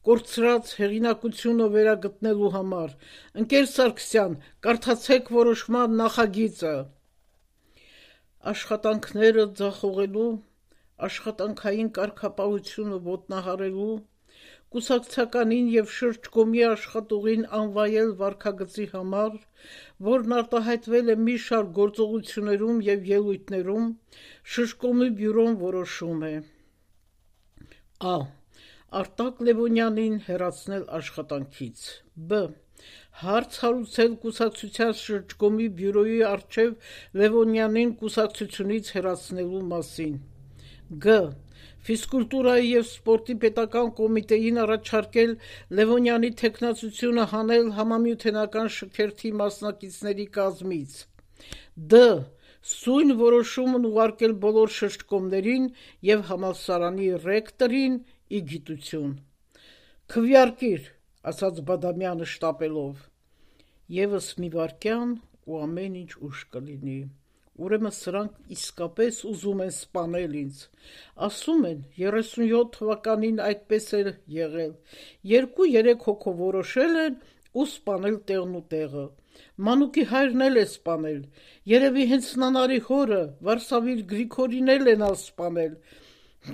կորցրած հեղինակությունը վերագտնելու համար։ Ընկեր Սարգսյան, կարդացեք որոշման նախագիծը։ Աշխատանքները ձախողելու, աշխատանքային կարգապահությունը ոտնահարելու, կուսակցականին և շրջկոմի աշխատուղին անվայել վարքագծի համար, որն արտահայտվել է մի շարք գործողություններում և ելույթներում, շրջկոմի բյուրոն որոշում է. Ա. Արտակ Լևոնյանին հեռացնել աշխատանքից։ Բ. Հարց հարուցել կուսակցության շրջկոմի բյուրոյի առջև Լևոնյանին կուսակցությունից հեռացնելու մասին։ Գ. Ֆիզկուլտուրայի և սպորտի պետական կոմիտեին առաջարկել Լևոնյանի թեկնածությունը հանել համամիութենական շքերթի մասնակիցների կազմից։ Դ. Սույն որոշումն ուղարկել բոլոր շրջկոմներին և համալսարանի ռեկտորին ի գիտություն։ Քվեարկիր, ասաց Բադամյանը շտապելով։ Եվս մի վայրկյան ու ամեն ինչ ուշ կլինի։ Ուրեմն սրանք իսկապես ուզում են սպանել ինձ։ Ասում են 37 թվականին այդպես էր եղել։ 2-3 հոգով որոշել են ու սպանել տեղն ու տեղը։ Մանուկի հայրն էլ է սպանել։ Երևի հենց նանարի հորը Վարսավիր Գրիգորին են սպանել։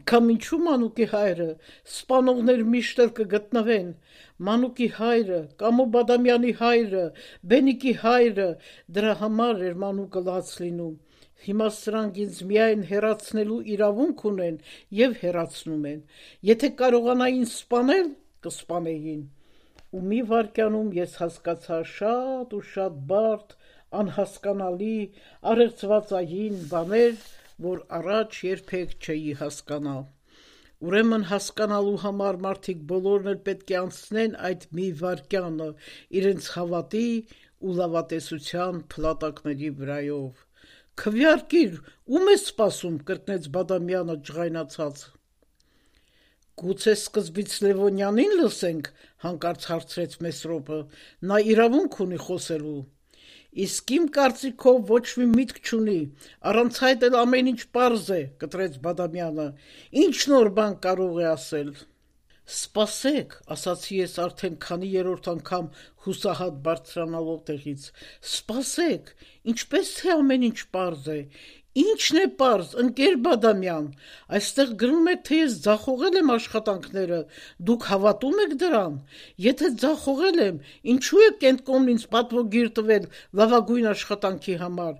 Կամ ինչու Մանուկի հայրը, սպանողներ միշտ էլ կգտնվեն։ Մանուկի հայրը, Կամո Բադամյանի հայրը, Բենիկի հայրը, դրա համար էր Մանուկը լաց լինում։ Հիմա սրանք ինձ միայն հեռացնելու իրավունք ունեն և հեռացնում են։ Եթե կարողանային սպանել, կսպանեին։ Ու մի վայրկյանում ես հասկացա շատ ու շատ բարդ, անհասկանալի, առեղծվածային բաներ, որ առաջ երբեք չէի հասկանա։ Ուրեմն հասկանալու համար մարդիկ բոլորն էլ պետք է անցնեն այդ մի վայրկյանը իրենց հավատի ու լավատեսության փլատակների վրայով։ Քվեարկիր, ում ես սպասում, կրկնեց Բադամյանը ջղայնացած։ Գուցե սկզբից Լևոնյանին լսենք, հանկարծ հարցրեց Մեսրոպը, նա իրավունք ունի խոսելու։ Իսկ իմ կարծիքով ոչ մի միտք չունի, առանց այդ էլ ամեն ինչ պարզ է, կտրեց Բադամյանը, ինչ նոր բան կարող է ասել։ Սպասեք, ասացի ես արդեն քանի երրորդ անգամ հուսահատ բարձրանալով տեղից, սպասեք, ինչպես թե ամեն ինչ պարզ է, ինչն է պարզ, ընկեր Բադամյան, այստեղ գրում է, թե ես ձախողել եմ աշխատանքները, դուք հավատում եք դրան, եթե ձախողել եմ, ինչու եք Կենտկոմն ինձ պատվոգիր տվել լավագույն աշխատանքի համար,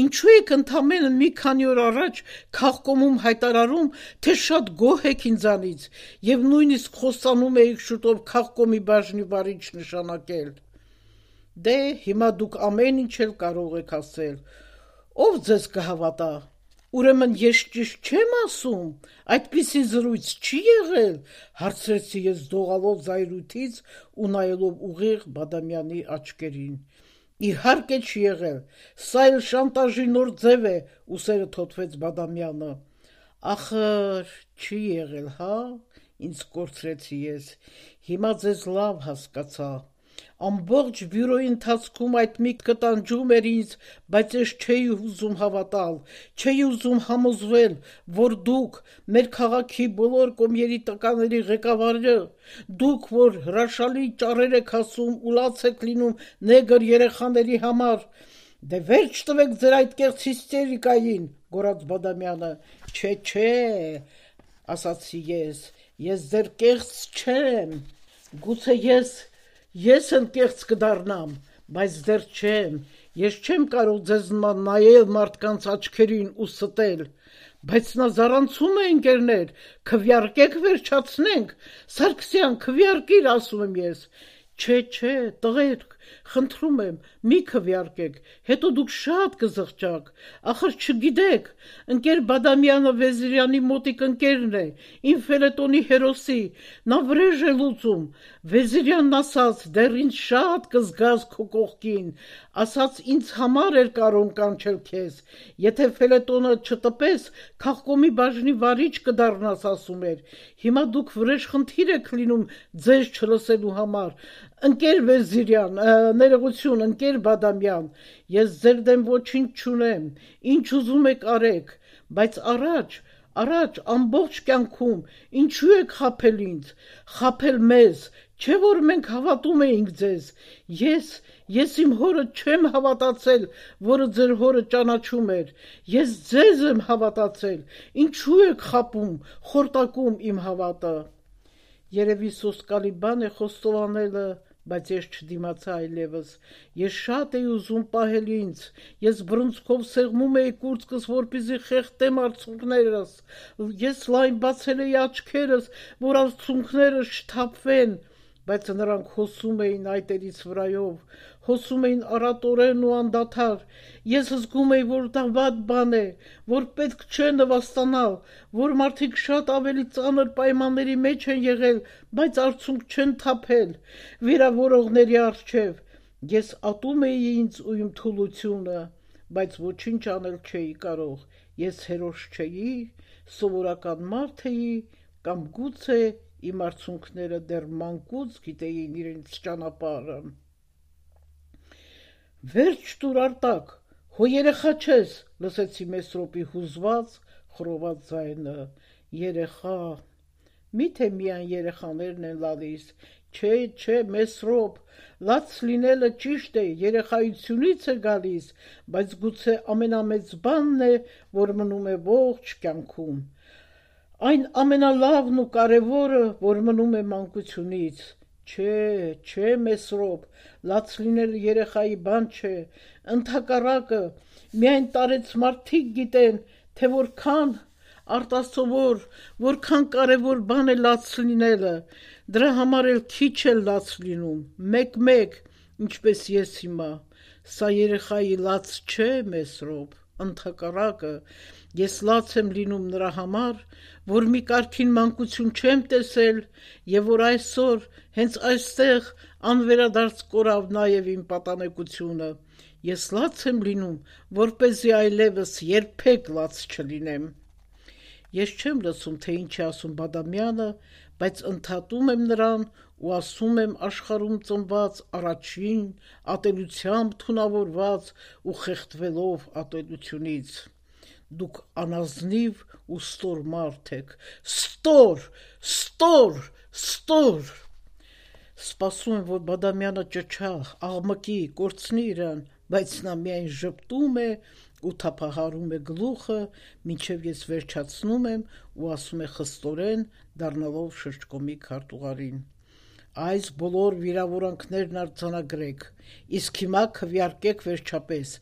ինչու եք ընդամենը մի քանի օր առաջ քաղկոմում հայտարարում, թե շատ գոհ եք ինձանից և նույնիսկ խոստանում էիք շուտով քաղկոմի բաժնի վարիչ նշանակել։ Դե հիմա դուք ամեն ինչ էլ կարող եք ասել, ով ձեզ կհավատա, ուրեմն ես ճիշտ չեմ ասում, այդպիսի զրույց չի եղել, հարցրեցի ես դողալով զայրույթից ու նայելով ուղիղ Բադամյանի աչքերին։ Իհարկե չի եղել, սա էլ շանտաժի նոր ձև է, ուսերը թոթվեց Բադամյանը։ Ախր չի եղել, հա, ինձ կորցրեցի ես, հիմա ձեզ լավ հասկացա։ Ամբողջ բյուրոյի ընթացքում այդ միտքը տանջում էր ինձ, բայց ես չէի ուզում հավատալ, չէի ուզում համոզվել, որ դուք, մեր քաղաքի բոլոր կոմերիտականների ղեկավարը, դուք, որ հրաշալի ճառեր եք ասում ու լաց եք լինում նեգր երեխաների համար, դե վերջ տվեք ձեր այդ կեղծ հիստերիկային, գոռաց Բադամյանը։ Չէ, ասացի ես ձեր կեղծ չեմ, գուցե ես էլ կեղծ կդառնամ, բայց դեռ չեմ, ես չեմ կարող ձեզ նման նայել մարդկանց աչքերին ու ստել, բայց նա զառանցում է ընկերներ, քվեարկեք վերջացնենք, Սարգսյան, քվեարկիր, ասում եմ ես, չէ, տղերք, խնդրում եմ, մի քվեարկեք, հետո դուք շատ կզղջաք, ախր չգիտեք, ընկեր Բադամյանը Վեզիրյանի մոտիկ ընկերն է, իմ ֆելետոնի հերոսի, նա վրեժ է լուծում, Վեզիրյանն ասաց, դեռ ինձ շատ կզգաս քո կողքին, ասաց ինձ համար էր կարող կանչել քեզ, եթե ֆելետոնը չտպես, քաղկոմի բաժնի վարիչ կդառնաս, ասում էր, հիմա դուք վրեժ խնդիր եք լինում ձեզ չլսելու համար, ընկեր Վեզիրյան, ներողություն, ընկեր Բադամյան, ես ձեր դեմ ոչինչ չունեմ, ինչ ուզում եք արեք, բայց Առաջ ամբողջ կյանքում ինչու եք խաբել ինձ, խաբել մեզ, չէ որ մենք հավատում էինք ձեզ, ես իմ հորը չեմ հավատացել, որը ձեր հորը ճանաչում էր, ես ձեզ եմ հավատացել, ինչու եք խաբում, խորտակում իմ հավատը։ Երևի սոսկալի բան է խոստովանելը, բայց ես չդիմացա այլևս, ես շատ էի ուզում պահել ինձ, ես բռունցքով սեղմում էի կուրծքս, որպեսզի խեղդեմ արցունքներս, ես լայն բացել էի աչքերս, որ արցունքներս չթափվեն, բայց նրանք հոսում էին այտերից վրայով, հոսում էին առատորեն ու անդադար, ես զգում էի, որ դա վատ բան է, որ պետք չէ նվաստանալ, որ մարդիկ շատ ավելի ծանր պայմանների մեջ են եղել, բայց արցունք չեն թափել, վիրավորողների առջև, ես ատում էի ինձ ու իմ թուլությունը, բայց ոչինչ անել չէի կարող, ես հերոս չէի, սովորական մարդ էի, կամ գուցե իմ արցունքները դեռ մանկուց գիտեին իրենց ճանապարհը։ Վերջ տուր Արտակ, հո երեխա չես, լսեցի Մեսրոպի հուզված, խռոված ձայնը, երեխա, միթե միայն երեխաներն են լալիս, չէ, Մեսրոպ, լաց լինելը ճիշտ է, երեխայությունից է գալիս, բայց գուցե ամենամեծ բանն է, որ մնում է ողջ կյանքում, այն ամենալավն ու կարևորը, որ մնում է մանկությունից, չէ, Մեսրոպ, լաց լինելը երեխայի բան չէ, ընդհակառակը, միայն տարեց մարդիկ գիտեն, թե որքան արտասովոր, որքան կարևոր բան է լաց լինելը, դրա համար էլ քիչ է լաց լինում, մեկ, ինչպես ես հիմա, սա երեխայի լաց չէ, Մեսրոպ, ընդհակառակը, ես լաց եմ լինում նրա համար, որ մի կարգին մանկություն չեմ տեսել և որ այսօր, հենց այստեղ անվերադարձ կորավ նաև իմ պատանեկությունը, ես լաց եմ լինում, որպեսզի այլևս երբեք լաց չլինեմ։ Ես չեմ լսում, թե ինչ է ասում Բադամյանը, բայց ընդհատում եմ նրան ու ասում եմ աշխարհում ծնված առաջին ատելությամբ թունավորված ու խեղդվելով ատելությունից։ Դուք անազնիվ ու ստոր մարդ եք, ստոր։ Սպասում եմ, որ Բադամյանը ճչա, աղմկի, կորցնի իրան, բայց նա միայն ժպտում է ու թափահարում է գլուխը, մինչև ես վերջացնում եմ ու ասում է խստորեն, դառնալով շրջկոմի քարտուղարին. Այս բոլոր վիրավորանքներն արձանագրեք, իսկ հիմա քվեարկեք վերջապես,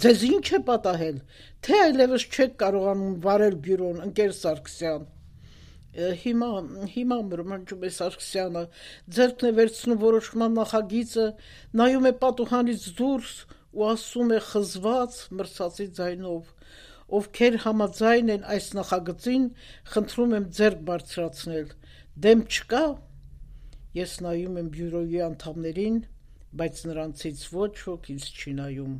ձեզ ինչ է պատահել, թե այլևս չեք կարողանում վարել բյուրոն, ընկեր Սարգսյան։ Հիմա մրմնջում է Սարգսյանը, ձեռքն է վերցնում որոշման նախագիծը, նայում է պատուհանից դուրս ու ասում է խզված, մրսածի ձայնով. ովքեր համաձայն են այս նախագծին, խնդրում եմ ձեռք բարձրացնել, դեմ չկա։ Ես նայում եմ բյուրոյի անդամներին, բայց նրանցից ոչ ոք ինձ չի նայում։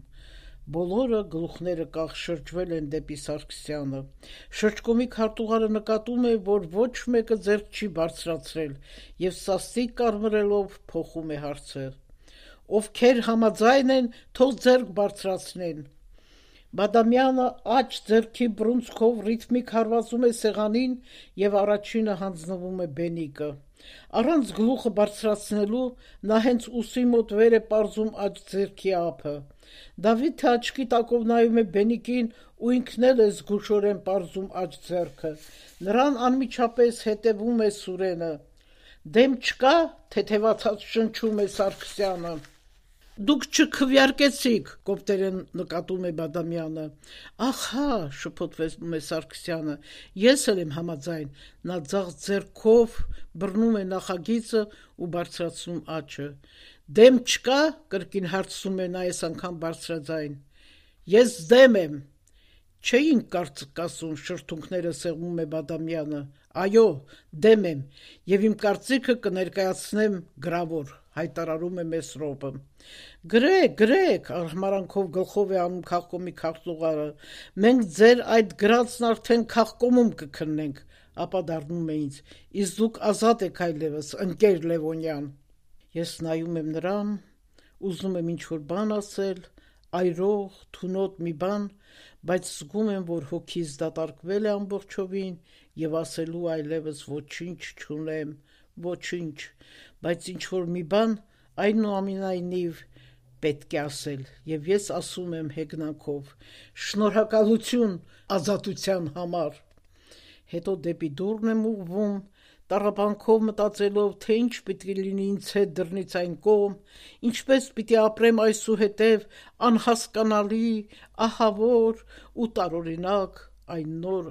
Բոլորը գլուխները կախ շրջվել են դեպի Սարգսյանը։ Շրջկոմի քարտուղարը նկատում է, որ ոչ մեկը ձեռք չի բարձրացրել և սաստիկ կարմրելով փոխում է հարցը. ովքեր համաձայն են, թող ձեռք բարձրացնեն։ Բադամյանը աջ ձեռքի բռունցքով ռիթմիկ հարվածում է սեղանին և առաջինը հանձնվում է Բենիկը։ Առանց գլուխը բարձրացնելու նա հենց ուսի մոտ վեր է պարզում աջ ձեռքի ափը։ Դավիթը աչքի տակով նայում է Բենիկին ու ինքն էլ է զգուշորեն պարզում աջ ձեռքը։ Նրան անմիջապես հետևում է Սուրենը։ Դեմ չկա, թեթևացած շնչում է Սարգսյանը։ Դուք չքվեարկեցիք, կոպտերեն նկատում է Բադամյանը։ Ահա, շփոթվում է Սարգսյանը, ես էլ եմ համաձայն, նա ձախ ձեռքով բռնում է նախագիծը ու բարձրացնում աջը։ Դեմ չկա, կրկին հարցնում է նա այս անգամ բարձրաձայն։ Ես դեմ եմ։ Չէինք կարծիք ասում, շրթունքները սեղմում է Բադամյանը։ Այո, դեմ եմ, և իմ կարծիքը կներկայացնեմ գրավոր, հայտարարում է Մեսրոպը։ Գրեք, արհամարանքով գլխով է անում քաղկոմի քարտուղարը, մենք ձեր այդ գրածն արդեն քաղկոմում կքննենք, ապա դառնում է ինձ, իսկ դուք ազատ եք այլևս, ընկեր Լևոնյան։ Ես նայում եմ նրան, ուզում եմ ինչ-որ բան ասել, այրող, թունոտ մի բան, բայց զգում եմ, որ հոգիս դատարկվել է ամբողջովին եւ ասելու այլևս ոչինչ չունեմ, ոչինչ, բայց ինչ որ մի բան այնուամենայնիվ պետք է ասել, եւ ես ասում եմ հեգնանքով. շնորհակալություն ազատության համար։ Հետո դեպի դուռն եմ ուղղվում, տառապանքով մտածելով, թե ինչ պիտի լինի ինձ հետ դռնից այն կողմ, ինչպես պիտի ապրեմ այսուհետև անհասկանալի, ահավոր ու տարօրինակ այն նոր